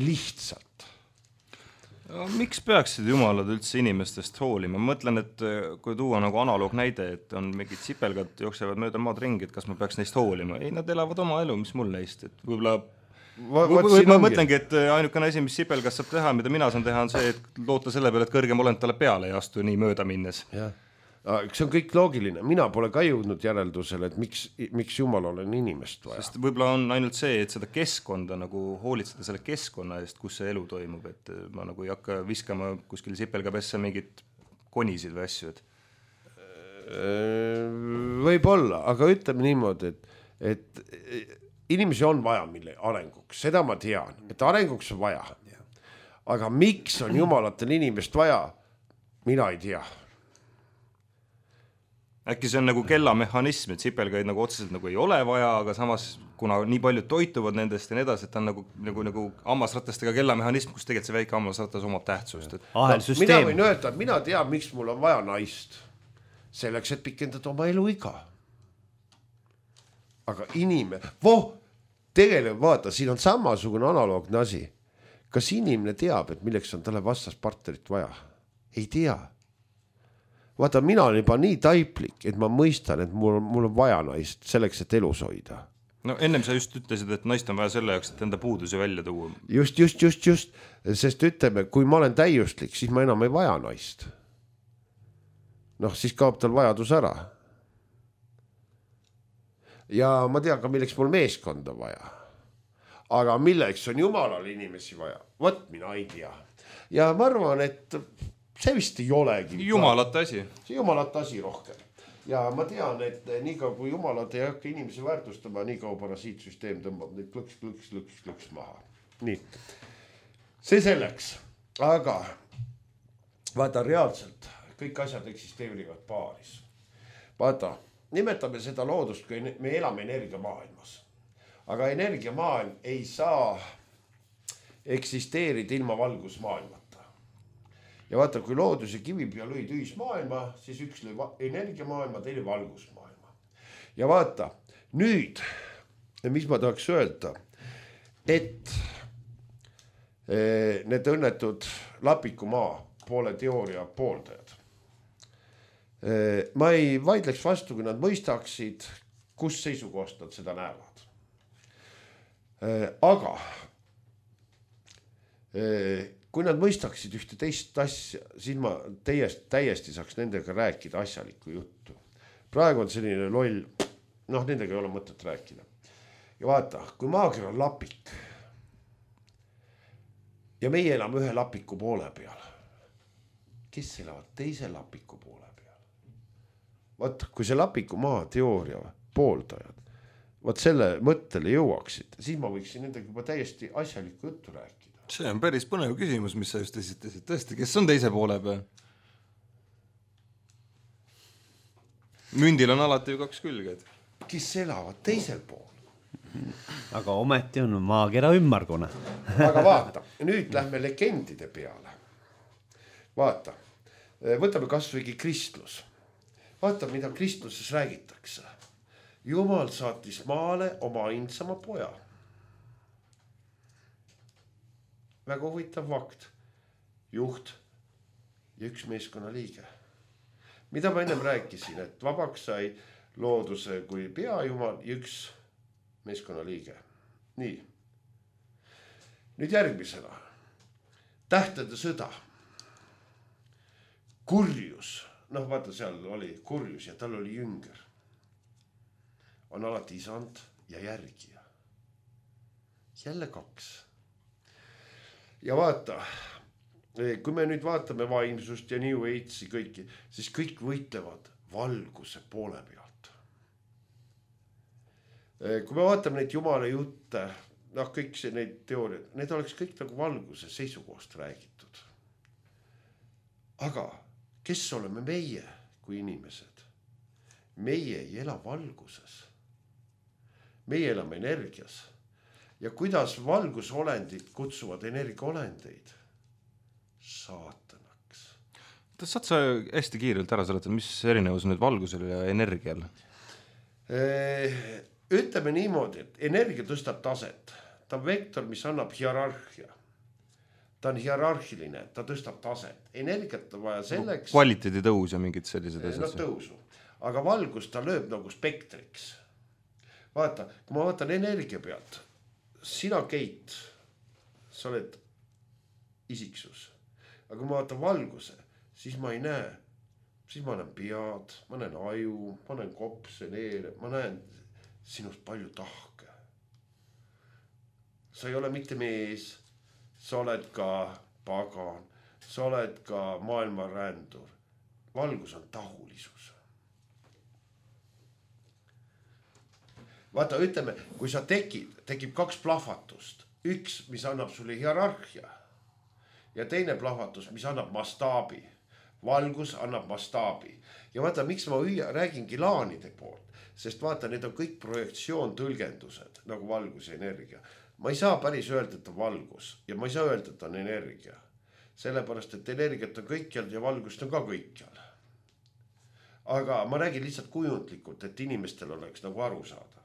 Speaker 3: Lihtsalt.
Speaker 2: Miks peaksid jumalad üldse inimestest hoolima? Ma mõtlen, et kui tuua nagu analoog näide, et on mingid sipelgad jooksevad mööda maad ringi, et kas ma peaks neist hoolima? Ei, nad elavad oma elu, mis mul neist. Et võib-olla ma mõtlengi, et ainukene asi, mis sipelgas saab teha, mida mina saan teha, on see, et loota selle peale, et kõrgem olend talle peale ei astu nii mööda minnes.
Speaker 3: Jah. See on kõik loogiline, mina pole ka jõudnud järeldusele, et miks jumal olen inimest vaja.
Speaker 2: Sest võib-olla on ainult see, et seda keskkonda nagu hoolitseda selle keskkonna eest, kus see elu toimub, et ma nagu ei hakka viskama kuskil sipelgapesse mingid konisid või asju.
Speaker 3: Võib-olla, aga ütleme niimoodi, et inimesi on vaja mille arenguks, seda ma tean, et arenguks on vaja. Aga miks on jumalatel inimest vaja, mina ei tea.
Speaker 2: Äkki see on nagu kellamehhanism, et sipelgaid nagu otseselt nagu ei ole vaja, aga samas kuna nii paljud toituvad nendest ja nii edasi, et ta on nagu hammasratastega kellamehhanism, kus tegelikult see väike hammasratas omab tähtsust.
Speaker 3: Mina võin öelda, et mina tean, miks mul on vaja naist. Selleks, et pikendada oma eluiga. Aga tegelikult vaata, siin on samasugune analoogne asi. Kas inimene teab, et milleks on talle vastaspartnerit vaja? Ei tea. Vaata, mina olen juba nii taiplik, et ma mõistan, et mul on vaja naist selleks, et elus hoida.
Speaker 2: No ennem sa just ütlesid, et naist on vaja selle jaoks, et enda puudusi välja tuua.
Speaker 3: Just. Sest ütleme, kui ma olen täiuslik, siis ma enam ei vaja naist. Siis kaob tal vajadus ära. Ja ma tean ka, milleks mul meeskonda vaja. Aga milleks on jumalal inimesi vaja? Võt, mina ei tea. Ja ma arvan, et see vist ei olegi.
Speaker 2: Jumalate asi.
Speaker 3: See jumalate asi rohkem. Ja ma tean, et nii kaua kui jumalad ei hakka inimesi väärtustama, nii kaua parasiitsüsteem tõmbab neid klõks maha. Nii. See selleks. Aga vaata reaalselt, kõik asjad eksisteerivad paaris. Vaata, nimetame seda loodust, kui me elame energiamaailmas. Aga energiamaailm ei saa eksisteerida ilma valgusmaailmata. Ja vaata, kui loodus ja kivipea lõi tühismaailma, siis üks lõi energiamaailma, teine valgusmaailma. Ja vaata, nüüd, mis ma tahaks öelda, et need õnnetud Lapikumaa poole teooria pooldajad. Ma ei vaidleks vastu, kui nad mõistaksid, kus seisukohast nad seda näevad. Aga kui nad mõistaksid ühte teist asja, siis ma täiesti saaks nendega rääkida asjalikku juttu. Praegu on selline loll, nendega ei ole mõtet rääkida. Ja vaata, kui maakera on lapik ja meie elame ühe lapiku poole peal, kes elavad teise lapiku poole peal? Vaata, kui see lapiku maa teooria pooldajad, vaat selle mõttele jõuaksid, siis ma võiksin nendega juba täiesti asjalikku juttu rääkida.
Speaker 4: See on päris põnev küsimus, mis sa just esitasid. Tõesti, kes on teise poole peal? Mündil on alati ju 2 külged.
Speaker 3: Kes elavad teisel pool?
Speaker 1: Aga ometi on maakera ümmargune.
Speaker 3: Aga vaata, nüüd lähme legendide peale. Vaata, võtame kasvõigi kristlus. Vaata, mida kristluses räägitakse. Jumal saatis maale oma ainsama poja. Väga huvitav fakt. Juht ja üks meeskonna liige. Mida ma ennem rääkisin, et vabaks sai looduse kui peajumal ja üks meeskonna liige. Nii. Nüüd järgmisena. Tähtede sõda. Kurjus. Vaata, seal oli kurjus ja tal oli jünger. On alati isand ja järgija. Jälle 2. Ja vaata, kui me nüüd vaatame vaimsust ja New Age'i kõiki, siis kõik võitlevad valguse poole pealt. Kui me vaatame neid jumala jutte, kõik need teooriad, need oleks kõik nagu valguse seisukohast räägitud. Aga kes oleme meie kui inimesed? Meie ei ela valguses. Meie elame energias. Ja kuidas valgusolendid kutsuvad energiaolendeid? Saatanaks.
Speaker 2: Saad sa hästi kiirelt ära seletada, mis erinevus on nüüd valgusel ja energial?
Speaker 3: Ütleme niimoodi, et energia tõstab taset. Ta on vektor, mis annab hierarhia. Ta on hierarhiline, ta tõstab taset. Energiat on vaja selleks...
Speaker 2: Kvaliteedi tõus ja mingid sellised asjad.
Speaker 3: Tõusu. Aga valgus ta lööb nagu spektriks. Vaata, kui ma vaatan energia pealt... Sina, Keit, sa oled isiksus. Aga kui ma vaatan valguse, siis ma ei näe. Siis ma näen pead, ma näen aju, ma näen kopse, neere, ma näen sinust palju tahke. Sa ei ole mitte mees, sa oled ka pagan, sa oled ka maailma rändur. Valgus on tahulisus. Vaata, ütleme, kui sa tekib 2 plahvatust. Üks, mis annab sulle hierarhia ja teine plahvatus, mis annab mastaabi. valgus annab mastaabi ja vaata, miks ma räägingi laanide poolt, sest vaata, need on kõik projektsioontõlgendused nagu valgus ja energia. Ma ei saa päris öelda, et on valgus ja ma ei saa öelda, et on energia. Sellepärast, et energiat on kõikjal ja valgust on ka kõikjal. Aga ma räägin lihtsalt kujundlikult, et inimestel oleks nagu aru saada.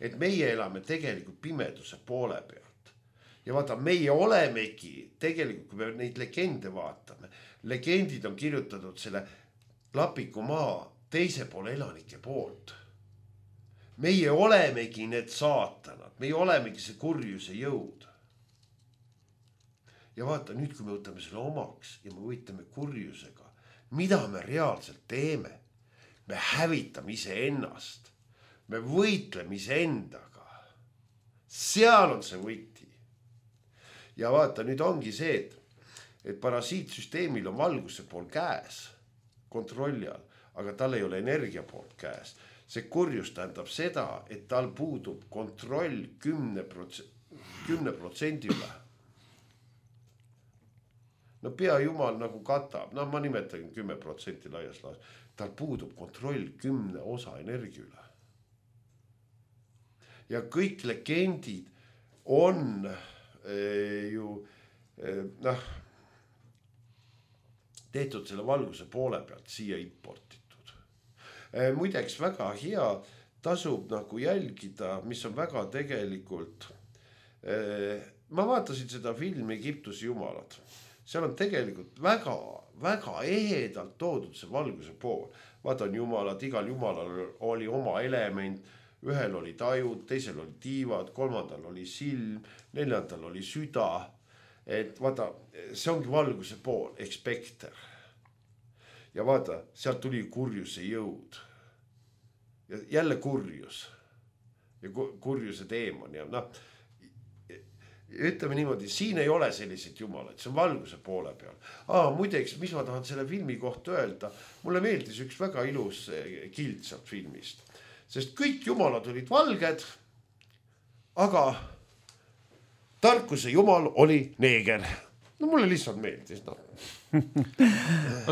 Speaker 3: Et meie elame tegelikult pimeduse poole pealt. Ja vaata, meie olemegi tegelikult, kui me neid legende vaatame, legendid on kirjutatud selle Lapiku maa teise poole elanike poolt. Meie olemegi need saatanad, meie olemegi see kurjuse jõud. Ja vaata, nüüd kui me võtame selle omaks ja me võitleme kurjusega, mida me reaalselt teeme? Me hävitame iseennast, me võitleme iseendaga. Seal on see võiti. Ja vaata, nüüd ongi see, et parasiitsüsteemil on valguse pool käes, kontrolli all, aga tal ei ole energia poolt käes. See kurjus tähendab seda, et tal puudub kontroll 10% üle. No pea jumal nagu katab, no ma nimetan 10% laias laas. Tal puudub kontroll 10 osa energia üle. Ja kõik legendid on tehtud selle valguse poole pealt siia importitud. Muideks väga hea tasub nagu jälgida, mis on väga tegelikult. Ma vaatasin seda filmi Egiptuse jumalad. Seal on tegelikult väga ehedalt toodud see valguse pool. Vaata on jumalad, igal jumalal oli oma element, ühel oli tajud, teisel oli tiivad, kolmandal oli silm, neljandal oli süda. Et vaata, see ongi valguse pool, ekspekter. Ja vaata, sealt tuli kurjuse jõud. Ja jälle kurjus. Ja kurjuse teemon. Ja ütleme niimoodi, siin ei ole selliseid jumalaid, see on valguse poole peal. Muideks, mis ma tahan selle filmi kohta öelda, mulle meeldis üks väga ilus kild sealt filmist. Sest kõik jumalad olid valged, aga tarkuse jumal oli neeger. No mulle lihtsalt meeldis.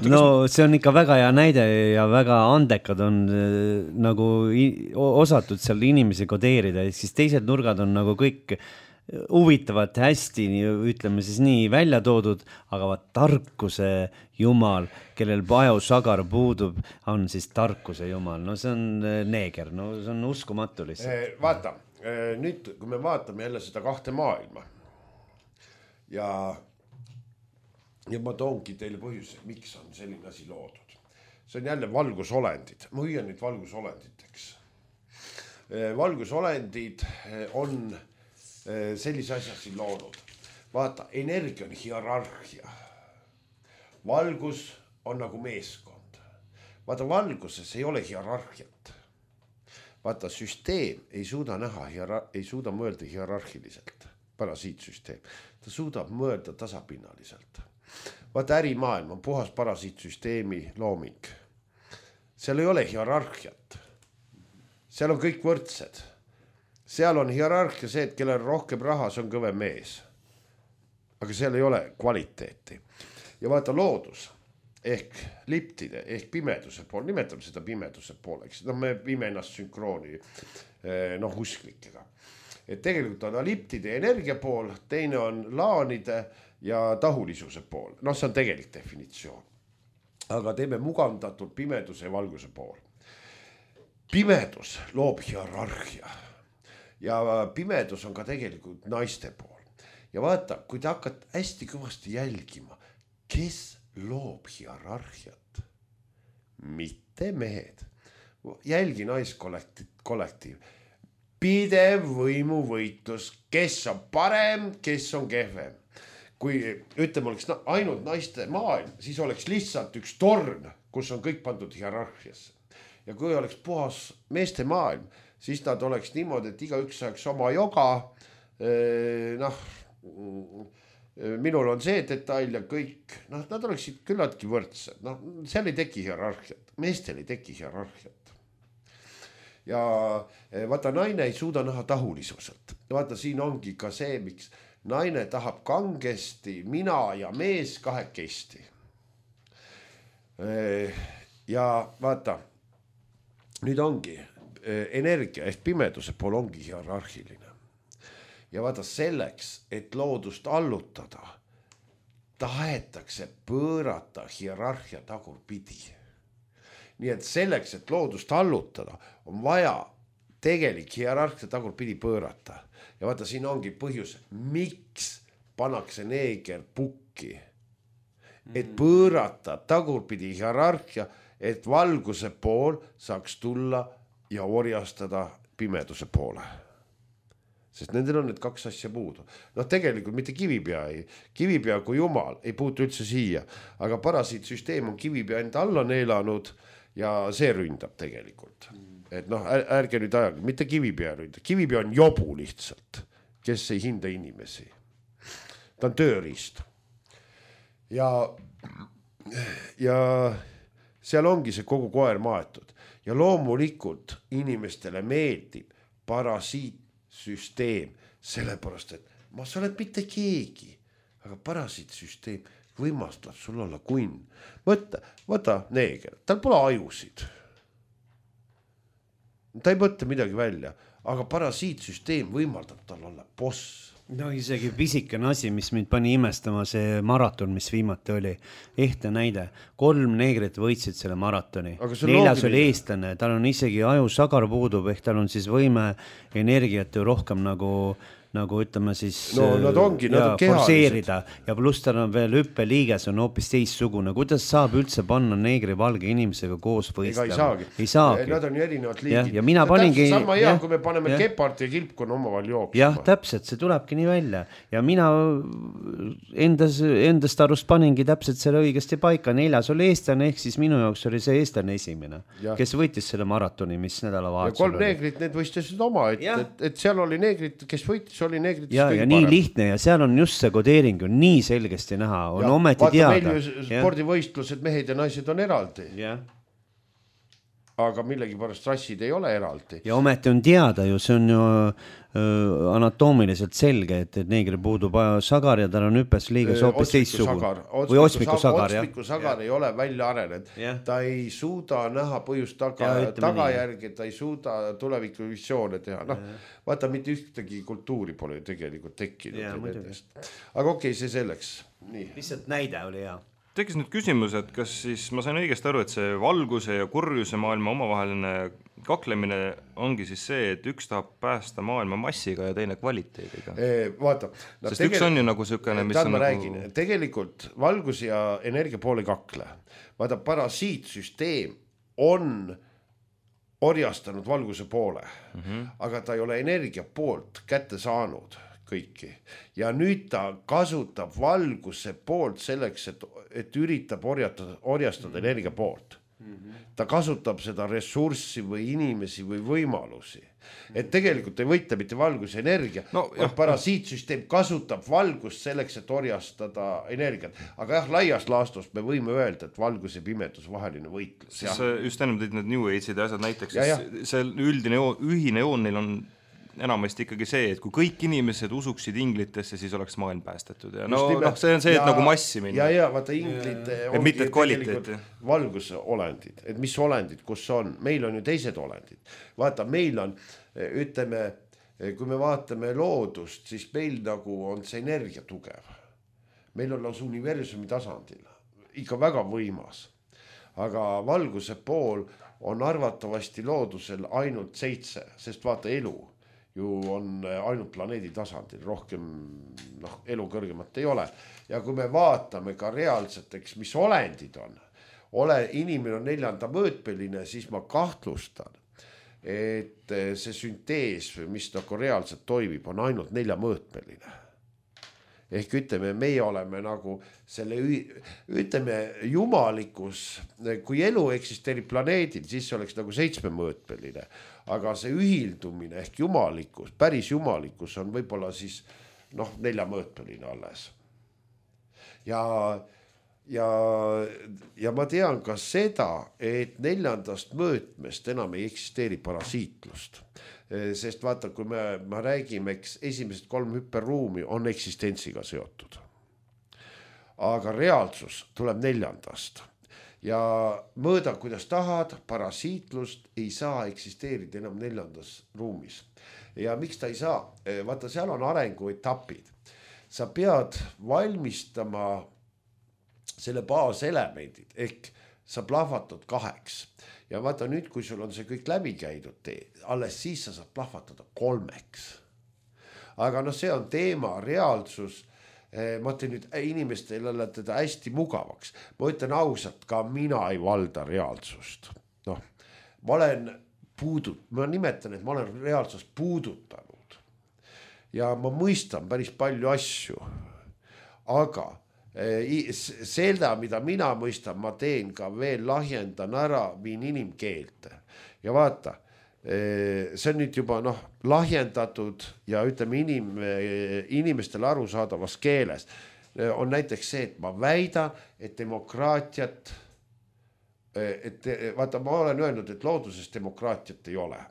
Speaker 1: No see on ikka väga hea näide ja väga andekad on nagu osatud seal inimesi kodeerida, siis teised nurgad on nagu kõik huvitavad hästi, ütleme siis nii välja toodud, aga vaat tarkuse jumal, kellel pajusagar puudub, on siis tarkuse jumal. No see on neeger, no see on uskumatu lihtsalt.
Speaker 3: Vaata, nüüd kui me vaatame jälle seda kahte maailma ja ma toongi teile põhjus, miks on selline asi loodud. See on jälle valgusolendid. Ma hüüan nüüd valgusolenditeks. Valgusolendid on sellise asja siin loonud. Vaata, energia on hierarhia. Valgus on nagu meeskond. Vaata, valguses ei ole hierarhiat. Vaata, süsteem ei suuda näha, ei suuda mõelda hierarhiliselt. Parasiitsüsteem. Ta suudab mõelda tasapinnaliselt. Vaata, ärimaailm on puhas parasiitsüsteemi looming. Seal ei ole hierarhiat. Seal on kõik võrdsed. Seal on hierarhia see, et kellel rohkem raha, see on kõvem mees. Aga seal ei ole kvaliteeti. Ja vaata loodus ehk liptide ehk pimeduse pool, nimetame seda pimeduse pooleks. No me viime ennast sünkrooni usklikega. Et tegelikult on liptide energia pool, teine on laanide ja tahulisuse pool. No see on tegelik definitsioon. Aga teeme mugavdatult pimeduse ja valguse pool. Pimedus loob hierarhia. Ja pimedus on ka tegelikult naiste pool. Ja vaata, kui te hakkad hästi kõvasti jälgima, kes loob hierarhiat? Mitte mehed. Jälgi naiskollektiiv. Pidev võimuvõitlus, kes on parem, kes on kehvem. Kui ütleme, oleks ainult naiste maailm, siis oleks lihtsalt üks torn, kus on kõik pandud hierarhiasse. Ja kui oleks puhas meeste maailm, siis nad oleks niimoodi, et igaüks saaks oma joga. Minul on see detail ja kõik, nad oleksid küllaltki võrdsed. Seal ei teki hierarhiat, meestel ei teki hierarhiat. Ja vaata, naine ei suuda näha tahulisuselt. Vaata, siin ongi ka see, miks naine tahab kangesti, mina ja mees kahekesti. ja vaata, nüüd ongi energia ehk pimeduse pool ongi hierarhiline. Ja vaata selleks, et loodust allutada, tahetakse pöörata hierarhia tagurpidi. Nii et selleks, et loodust allutada, on vaja tegelik hierarhia tagurpidi pöörata. Ja vaata, siin ongi põhjus, miks pannakse neeger pukki. Et pöörata tagurpidi hierarhia, et valguse pool saaks tulla ja orjastada pimeduse poole. Sest nendel on need kaks asja puudu. Noh, tegelikult mitte kivipea kui jumal ei puutu üldse siia, aga parasiitsüsteem on kivipea enda alla neelanud ja see ründab tegelikult. Et noh, ärge nüüd ajage, mitte kivipea ründab. Kivipea on jobu lihtsalt, kes ei hinda inimesi. Ta on tööriist. Ja seal ongi see kogu koer maetud. Ja loomulikult inimestele meeldib parasiitsüsteem, sellepärast, et sa oled mitte keegi, aga parasiitsüsteem võimastab sul olla kunn. Võta neeger, tal pole ajusid. Ta ei mõtle midagi välja, aga parasiitsüsteem võimaldab tal olla boss.
Speaker 1: No isegi pisikene asi, mis mind pani imestama, see maraton, mis viimati oli. Ehte näide, 3 neegrit võitsid selle maratoni. 4 oli eestlane, tal on isegi ajusagar puudub, ehk tal on siis võime energiat ju rohkem nagu ütleme siis forseerida ja pluss tal on veel hüppeliiges on hoopis teissugune. Kuidas saab üldse panna neegri valge inimesega koos võistlema?
Speaker 3: Ei saagi. Nad on ju erinevad liigid.
Speaker 1: Ja mina paningi...
Speaker 3: Sama hea, kui me paneme Gepard ja Kilpkon omavahel jooksma.
Speaker 1: Jah, täpselt, see tulebki nii välja. Ja mina endast arust paningi täpselt selle õigesti paika. 4 oli eestlane, ehk siis minu jaoks oli see eestlane esimene, kes võitis selle maratoni, mis nädalavahetusel
Speaker 3: oli. Ja 3 neegrit, need võistlesid oma, et seal oli neegrit, kes võitis, oli neegrit.
Speaker 1: Ja nii lihtne ja seal on just see kodeering on nii selgesti näha, on ometi teada.
Speaker 3: Vaata meil ju spordivõistlused, mehed ja naised on eraldi. Aga millegi pärast rassid ei ole eraldi.
Speaker 1: Ja ometi on teada ju, see on ju anatoomiliselt selge, et neegri puudub sagar ja tal on hüppes liiges hoopis teistsugune. Või otsmiku sagar, jah.
Speaker 3: Otsmiku sagar ei ole välja arenenud. Ta ei suuda näha põhjust tagajärgi, ta ei suuda tulevikuvisioone teha. Vaata, mitte ühtegi kultuuri pole tegelikult tekkinud. Aga okei, see selleks.
Speaker 1: Lihtsalt näide oli hea.
Speaker 2: Tekkis nüüd küsimus, et kas siis ma sain õigesti aru, et see valguse ja kurjuse maailma omavaheline kaklemine ongi siis see, et üks tahab päästa maailma massiga ja teine kvaliteediga.
Speaker 3: Vaata.
Speaker 2: Sest üks on ju nagu sükene, mis on
Speaker 3: nagu... Tegelikult valgus ja energia poole kakle. Vaata, parasiitsüsteem on orjastanud valguse poole, aga ta ei ole energia poolt kätte saanud kõiki. Ja nüüd ta kasutab valguse poolt selleks, et üritab orjastada energia poolt. Ta kasutab seda ressurssi või inimesi või võimalusi. Et tegelikult ei võita mitte valgus ja energia, parasiitsüsteem kasutab valgust selleks, et orjastada energiat. Aga jah, laias laastus me võime öelda, et valgus ja pimedus vaheline võitlus.
Speaker 2: Just ennem tõid need New Age'id ja asjad näiteks, see üldine ühine joon neil on enamasti ikkagi see, et kui kõik inimesed usuksid inglitesse, siis oleks maailm päästetud. Ja see on see, et nagu massi minna.
Speaker 3: Ja vaata, inglid ongi tegelikult valguse olendid. Et mis olendid, kus on? Meil on ju teised olendid. Vaata, meil on, ütleme, kui me vaatame loodust, siis meil nagu on see energia tugev. Meil on lausa universumi tasandil. Ikka väga võimas. Aga valguse pool on arvatavasti loodusel ainult 7, sest vaata elu ju on ainult planeedi tasandil, rohkem elu kõrgemat ei ole. Ja kui me vaatame ka reaalseteks, mis olendid on, inimene on 4. mõõtmeline, siis ma kahtlustan, et see süntees, mis nagu reaalselt toimib, on ainult 4 mõõtmeline. Ehk ütleme, meie oleme nagu selle, ütleme, jumalikus, kui elu eksisteerib planeedil, siis see oleks nagu 7 mõõtmeline. Aga see ühildumine ehk jumalikus, päris jumalikus on võib-olla siis 4 mõõtmeline alles. Ja ma tean ka seda, et 4. mõõtmest enam ei eksisteeri parasiitlust. Sest vaata, kui me räägime, esimesed 3 hüperruumi on eksistentsiga seotud. Aga reaalsus tuleb 4. ja mõõda, kuidas tahad, parasiitlust ei saa eksisteerida enam 4. ruumis. Ja miks ta ei saa? Vaata, seal on arenguetapid. Sa pead valmistama selle baaselemendid ehk sa plahvatad 2 ja vaata nüüd, kui sul on see kõik läbi käidud, alles siis sa saad plahvatada 3. Aga noh, see on teema, reaalsus. Ma teen nüüd inimestele teda hästi mugavaks. Ma ütlen ausalt, ka mina ei valda reaalsust. Noh, ma nimetan, et ma olen reaalsust puudutanud ja ma mõistan päris palju asju, aga seda, mida mina mõistan, ma teen ka veel, lahjendan ära, viin inimkeelte ja vaata, see on nüüd juba lahjendatud ja ütleme inimestele arusaadavas keeles on näiteks see, et ma väidan, et demokraatiat, vaata, ma olen öelnud, et looduses demokraatiat ei ole.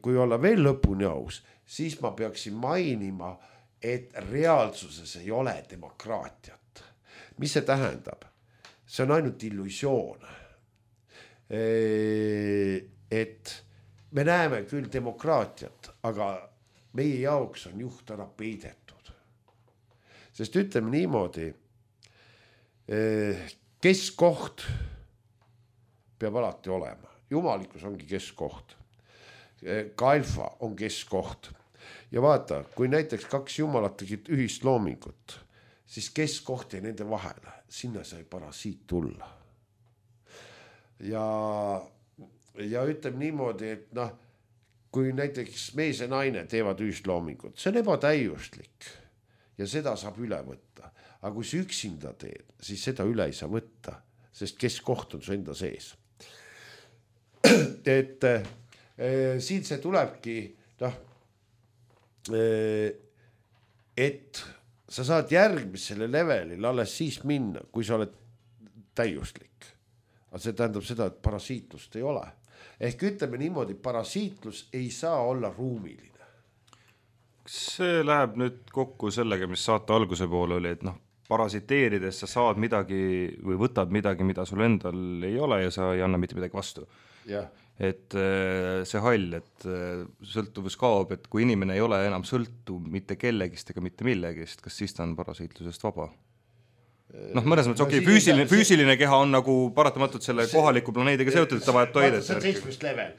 Speaker 3: Kui olla veel lõpuni aus, siis ma peaksin mainima, et reaalsuses ei ole demokraatiat. Mis see tähendab? See on ainult illusioon. Et me näeme küll demokraatiat, aga meie jaoks on juht ära peidetud. Sest ütleme niimoodi, keskkoht peab alati olema. Jumalikkus ongi keskkoht. Ka alfa on keskkoht. Ja vaata, kui näiteks 2 jumalat tegid ühist loomingut, siis keskkoht jäi nende vahele. Sinna sai parasiit tulla. Ja ütleme niimoodi, et kui näiteks mees ja naine teevad ühist loomingut, see on ebatäiuslik ja seda saab üle võtta. Aga kui sa üksinda teed, siis seda üle ei saa võtta, sest keskkoht on su enda sees. Et siin see tulebki, et sa saad järgmisele levelile alles siis minna, kui sa oled täiuslik. Aga see tähendab seda, et parasiitlust ei ole. Ehk ütleme niimoodi, parasiitlus ei saa olla ruumiline.
Speaker 2: See läheb nüüd kokku sellega, mis saate alguse poole oli, et parasiteerides sa saad midagi või võtad midagi, mida sul endal ei ole ja sa ei anna mitte midagi vastu.
Speaker 3: Ja.
Speaker 2: Et see hall, et sõltuvus kaob, et kui inimene ei ole enam sõltuv mitte kellegist ega mitte millegist, kas siis ta on parasiitlusest vaba? Mõnes mõttes füüsiline keha on nagu paratamatult selle kohaliku planeediga seotud, et ta vajab toidet.
Speaker 3: See on 7. level.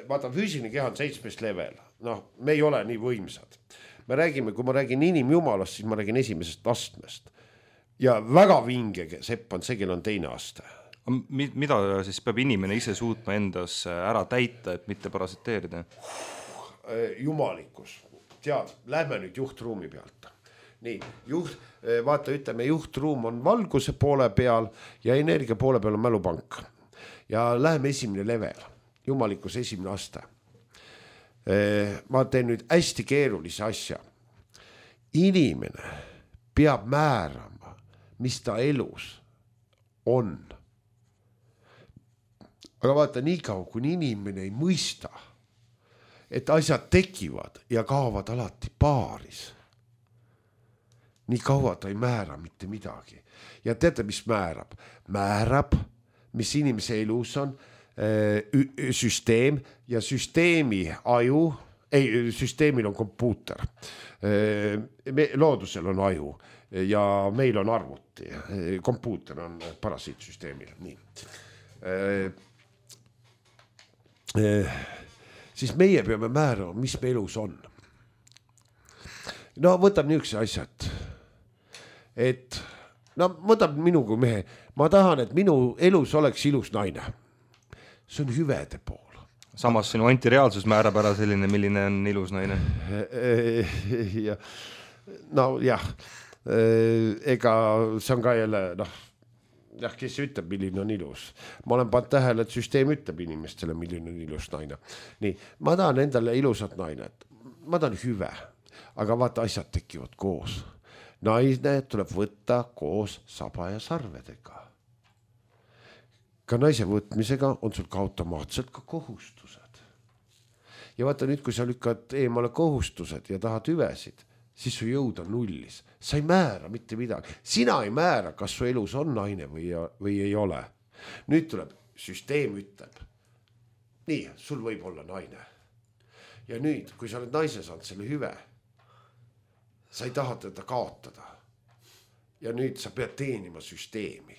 Speaker 3: Vaata, füüsiline keha on 7. level. Me ei ole nii võimsad. Kui ma räägin inimjumalast, siis ma räägin 1. astmest. Ja väga vinge sepp on see, kel on 2. aste.
Speaker 2: Mida siis peab inimene ise suutma endas ära täita, et mitte parasiteerida?
Speaker 3: Jumalikkus. Tead, lähme nüüd juhtruumi pealt. Nii, vaata, ütleme, juhtruum on valguse poole peal ja energia poole peal on mälupank. Ja läheme 1. level, jumalikkus 1. aste. Ma teen nüüd hästi keerulise asja. Inimene peab määrama, mis ta elus on. Aga vaata, nii kaua, kui inimene ei mõista, et asjad tekivad ja kaovad alati paaris. Nii kaua ta ei määra mitte midagi. Ja teate, mis määrab? Määrab, mis inimese elus on, süsteem ja süsteemi aju, süsteemil on kompuuter. Loodusel on aju ja meil on arvuti. Kompuuter on parasiitsüsteemil. Nii. Siis meie peame määrama, mis me elus on. Võtab niisuguse asjad, et võtab minu kui mehe. Ma tahan, et minu elus oleks ilus naine. See on hüvede pool.
Speaker 2: Samas sinu antireaalsus määrab ära selline, milline on ilus naine.
Speaker 3: Ega see on ka jälle, kes ütleb, milline on ilus. Ma olen pannud tähele, et süsteem ütleb inimestele, milline on ilus naine. Nii, ma tahan endale ilusat nainet. Ma tahan hüve, aga vaata, asjad tekivad koos. Naine tuleb võtta koos saba ja sarvedega. Ka naise võtmisega on sul ka automaatselt ka kohustused. Ja vaata nüüd, kui sa lükkad eemale kohustused ja tahad hüvesid, siis su jõud on nullis. Sa ei määra mitte midagi. Sina ei määra, kas su elus on naine või ei ole. Nüüd tuleb, süsteem ütleb. Nii, sul võib olla naine. Ja nüüd, kui sa oled naise saanud selle hüve, sa ei taha teda kaotada. Ja nüüd sa pead teenima süsteemi.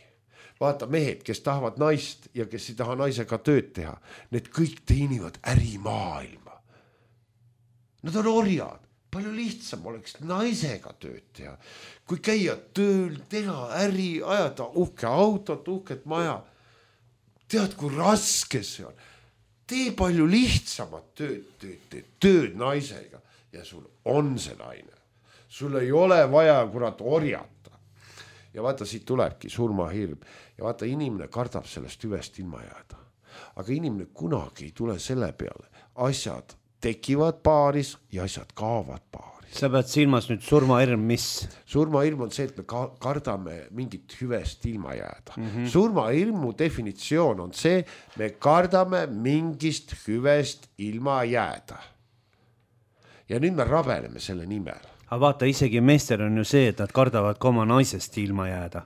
Speaker 3: Vaata mehed, kes tahavad naist ja kes ei taha naisega tööd teha, need kõik teenivad ärimaailma. Nad on orjad. Palju lihtsam oleks naisega tööd teha. Kui käia tööl, teha äri, ajada uhke autot, uhket maja. Tead, kui raske see on. Tee palju lihtsamat tööd naisega ja sul on see naine. Sul ei ole vaja kurat orjata. Ja vaata, siit tulebki surmahirm. Ja vaata, inimene kardab sellest hüvest ilma jääda. Aga inimene kunagi ei tule selle peale. Asjad tekivad paaris ja asjad kaovad paaris.
Speaker 1: Sa pead silmas nüüd surmahirm, mis?
Speaker 3: Surmahirm on see, et me kardame mingit hüvest ilma jääda. Surmahirmu definitsioon on see, me kardame mingist hüvest ilma jääda. Ja nüüd me rabeleme selle nimel.
Speaker 1: Aga vaata, isegi meestel on ju see, et nad kardavad ka oma naisest ilma jääda.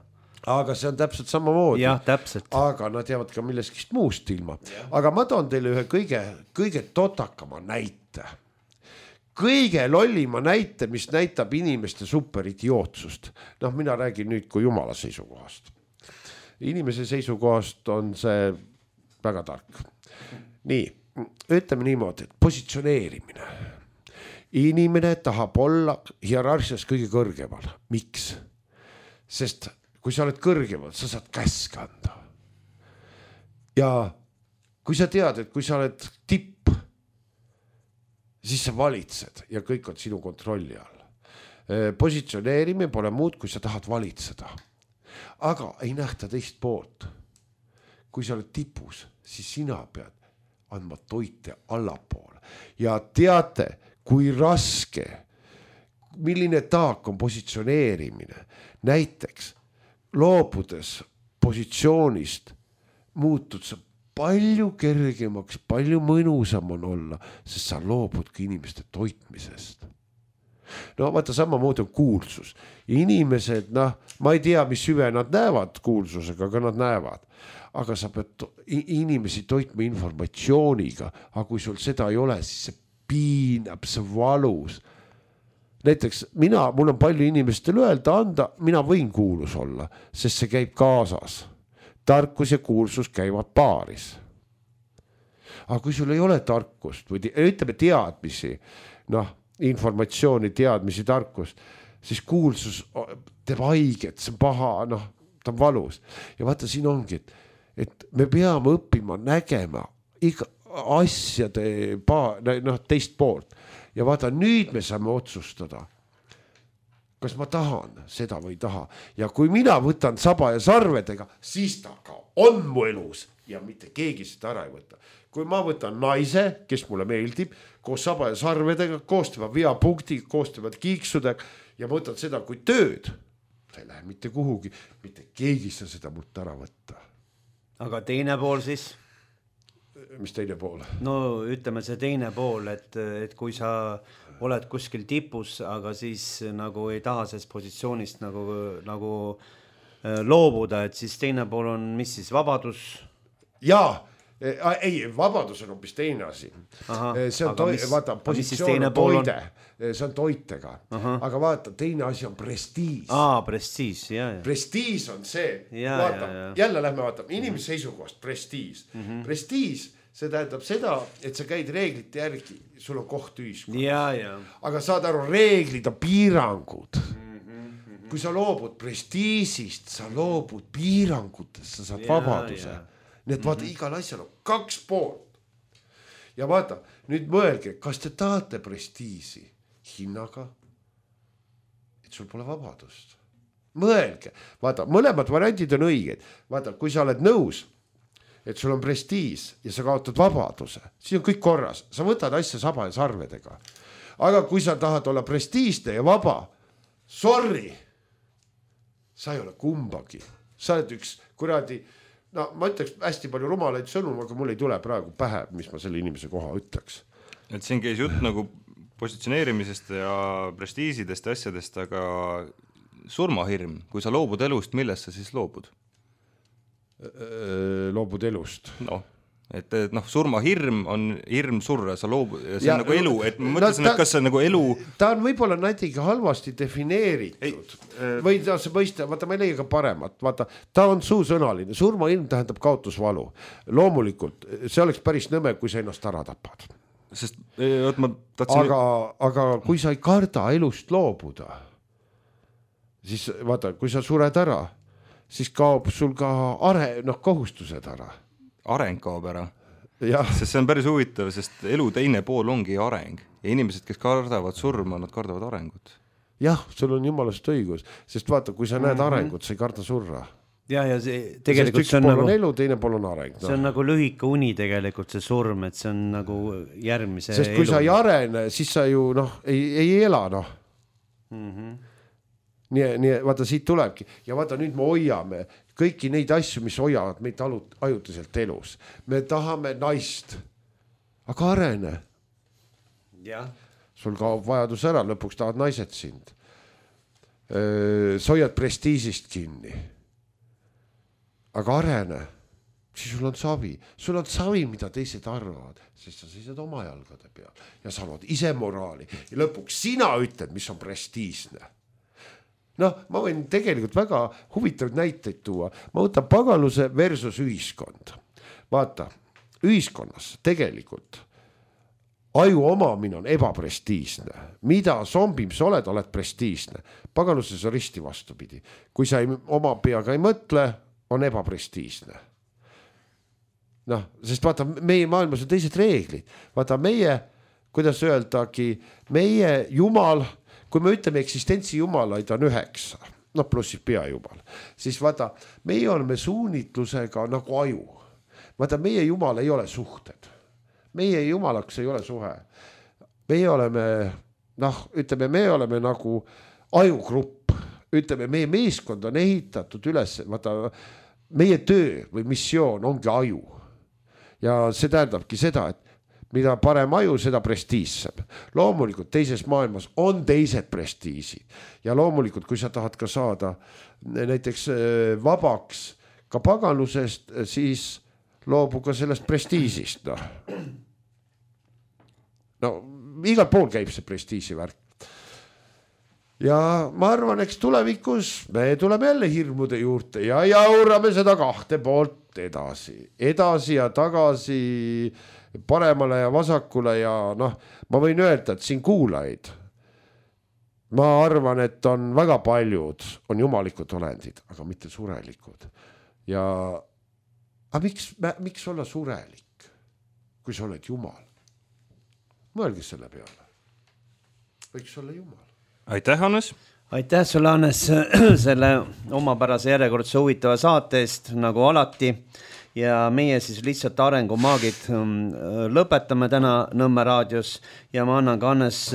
Speaker 3: Aga see on täpselt samamoodi.
Speaker 1: Jah, täpselt.
Speaker 3: Aga nad jäävad ka milleskist muust ilma. Aga ma toon teile ühe kõige totakama näite. Kõige lollima näite, mis näitab inimeste superidiootsust. Noh, mina räägin nüüd kui jumala seisukohast. Inimese seisukohast on see väga tark. Nii, ütleme niimoodi, et positsioneerimine. Inimene tahab olla hierarhias kõige kõrgemal. Miks? Sest kui sa oled kõrgemal, sa saad käsk anda. Ja kui sa tead, et kui sa oled tipp, siis sa valitsed ja kõik on sinu kontrolli all. Positsioneerimine pole muud, kui sa tahad valitseda. Aga ei nähta teist poolt. Kui sa oled tipus, siis sina pead andma toite allapoole. Ja teate, kui raske, milline taak on positsioneerimine. Näiteks loobudes positsioonist muutud sa palju kergemaks, palju mõnusam on olla, sest sa loobudki inimeste toitmisest. No vaata, samamoodi on kuulsus. Inimesed, ma ei tea, mis hüve nad näevad kuulsusega, aga nad näevad. Aga sa pead inimesi toitma informatsiooniga, aga kui sul seda ei ole, siis see piinab, see valus. Näiteks mul on palju inimestel öelda anda, mina võin kuulus olla, sest see käib kaasas. Tarkus ja kuulsus käivad paaris. Aga kui sul ei ole tarkust või ütleme teadmisi, informatsiooni, teadmisi, tarkust, siis kuulsus teeb haiget, see on paha, ta on valus. Ja vaata, siin ongi, et me peame õppima nägema iga asjade teist poolt. Ja vaata, nüüd me saame otsustada, kas ma tahan seda või ei taha. Ja kui mina võtan saba ja sarvedega, siis ta ka on mu elus ja mitte keegi seda ära ei võta. Kui ma võtan naise, kes mulle meeldib, koos saba ja sarvedega, koos tema veapunktiga, koos tema kiiksudega ja võtan seda kui tööd, ta ei lähe mitte kuhugi, mitte keegi saa seda mult ära võtta.
Speaker 1: Aga teine pool siis?
Speaker 3: Mis teine pool?
Speaker 1: No ütleme see teine pool, et kui sa oled kuskil tipus, aga siis nagu ei taha sellest positsioonist nagu loobuda, et siis teine pool on, mis siis, vabadus? Jaa,
Speaker 3: ei, vabadus on hoopis teine asi. See on vaata, positsioon on toide, see on toitega. Aga vaata, teine asi on prestiis.
Speaker 1: Prestiis, jah.
Speaker 3: Prestiis on see, vaata, jälle lähme vaatame, inimese seisukohast prestiis. Prestiis, see tähendab seda, et sa käid reeglite järgi, sul on koht ühiskonnas. Aga saad aru, reeglid on piirangud. Kui sa loobud prestiisist, sa loobud piirangutest, sa saad vabaduse. Nii et vaata, igal asjal on 2 poolt. Ja vaata, nüüd mõelge, kas te tahate prestiisi hinnaga, et sul pole vabadust. Mõelge, vaata, mõlemad variandid on õiged. Vaata, kui sa oled nõus, et sul on prestiis ja sa kaotad vabaduse, siis on kõik korras. Sa võtad asja saba ja sarvedega. Aga kui sa tahad olla prestiisne ja vaba, sorry, sa ei ole kumbagi. Sa oled üks kuradi, ma ütleks hästi palju rumalaid sõnu, aga mul ei tule praegu pähe, mis ma selle inimese koha ütleks.
Speaker 2: Et siin käis jutt nagu positsioneerimisest ja prestiisidest ja asjadest, aga surmahirm, kui sa loobud elust, millest sa siis loobud?
Speaker 3: Loobud elust.
Speaker 2: Noh, et surmahirm on hirm surra, sa loobud, ja see on nagu elu, et ma mõtlesin, et kas see on nagu elu...
Speaker 3: Ta on võib-olla natuke halvasti defineeritud. Või ta see mõista, vaata, ma ei leia ka paremat, vaata, ta on suusõnaline, surmahirm tähendab kaotusvalu. Loomulikult, see oleks päris nõme, kui sa ennast ära tapad.
Speaker 2: Sest, ma tahtsin...
Speaker 3: Aga kui sa ei karda elust loobuda, siis vaata, kui sa sured ära, siis kaob sul ka kohustused ära.
Speaker 2: Areng kaob ära.
Speaker 3: Ja.
Speaker 2: Sest see on päris huvitav, sest elu teine pool ongi areng. Ja inimesed, kes kardavad surma, nad kardavad arengut.
Speaker 3: Jah, sul on jumalast õigus. Sest vaata, kui sa näed arengut, sa ei karda surra.
Speaker 1: Ja see tegelikult
Speaker 3: see on nagu... elu, teine pool on areng.
Speaker 1: See on nagu lühike uni tegelikult, see surm, et see on nagu järgmise
Speaker 3: sest kui elu. Sa ei arene, siis sa ju ei ela, Nii, vaata, siit tulebki. Ja vaata, nüüd me hoiame kõiki neid asju, mis hoiavad meid ajutiselt elus. Me tahame naist, aga arene.
Speaker 1: Ja.
Speaker 3: Sul kaob vajadus ära, lõpuks tahad naised sind. Sa hoiad prestiisist kinni. Aga arene, siis sul on savi. Sul on savi, mida teised arvavad, sest sa seisad oma jalgade peal ja sa lood ise moraali. Ja lõpuks sina ütled, mis on prestiisne. Ma võin tegelikult väga huvitavaid näiteid tuua. Ma võtan paganluse versus ühiskond. Vaata, ühiskonnas tegelikult aju omamine on ebaprestiisne. Mida zombim sa oled prestiisne. Paganluses on risti vastupidi. Kui sa oma peaga ei mõtle, on ebaprestiisne. Sest vaata, meie maailmas on teised reeglid. Vaata, meie, kuidas öeldagi, meie jumal... Kui me ütleme eksistentsi jumalaid on 9, plussis pea jumal, siis vaata, meie oleme suunitlusega nagu aju. Vaata, meie jumal ei ole suhted. Meie jumalaks ei ole suhe. Meie oleme, ütleme, me oleme nagu ajugrupp. Ütleme, meie meeskond on ehitatud üles, vaata, meie töö või missioon ongi aju. Ja see tähendabki seda, et mida parem aju, seda prestiissem. Loomulikult teises maailmas on teised prestiisid. Ja loomulikult, kui sa tahad ka saada näiteks vabaks ka paganlusest, siis loobu ka sellest prestiisist. Igal pool käib see prestiisi värk. Ja ma arvan, eks tulevikus me tuleme jälle hirmude juurde ja jaurame seda 2 poolt edasi ja tagasi paremale ja vasakule ja ma võin öelda, et siin kuulaid. Ma arvan, et on väga paljud, on jumalikud olendid, aga mitte surelikud. Ja miks olla surelik, kui sa oled jumal? Mõelge selle peale. Võiks olla jumal.
Speaker 2: Aitäh, Hannes!
Speaker 1: Aitäh sulle, Hannes, selle omapärase järjekordse huvitava saate eest, nagu alati. Ja meie siis lihtsalt arengumaagid lõpetame täna Nõmme raadios ja ma annan ka Hannes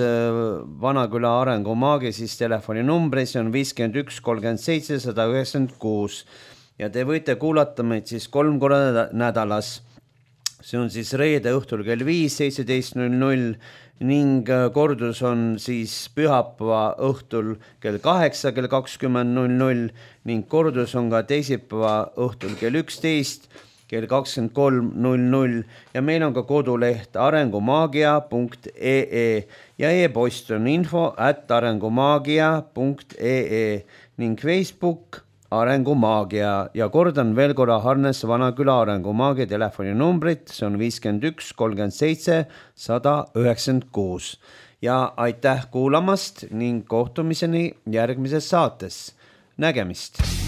Speaker 1: Vanaküla arengumaagi siis telefoninumbri, see on 51 37 196 ja te võite kuulata meid siis 3 korda nädalas. See on siis reede õhtul kell 5, 17.00 ning kordus on siis pühapäeva õhtul kell 8, kell 20.00 ning kordus on ka teisipäeva õhtul kell 11, kell 23.00 ja meil on ka koduleht arengumaagia.ee ja e-post on info@arengumaagia.ee ning Facebook Arengumaagia ja kordan veel korra Hannes Vanaküla arengumaagia telefoninumbrit, see on 51 37 196 ja aitäh kuulamast ning kohtumiseni järgmises saates. Nägemist!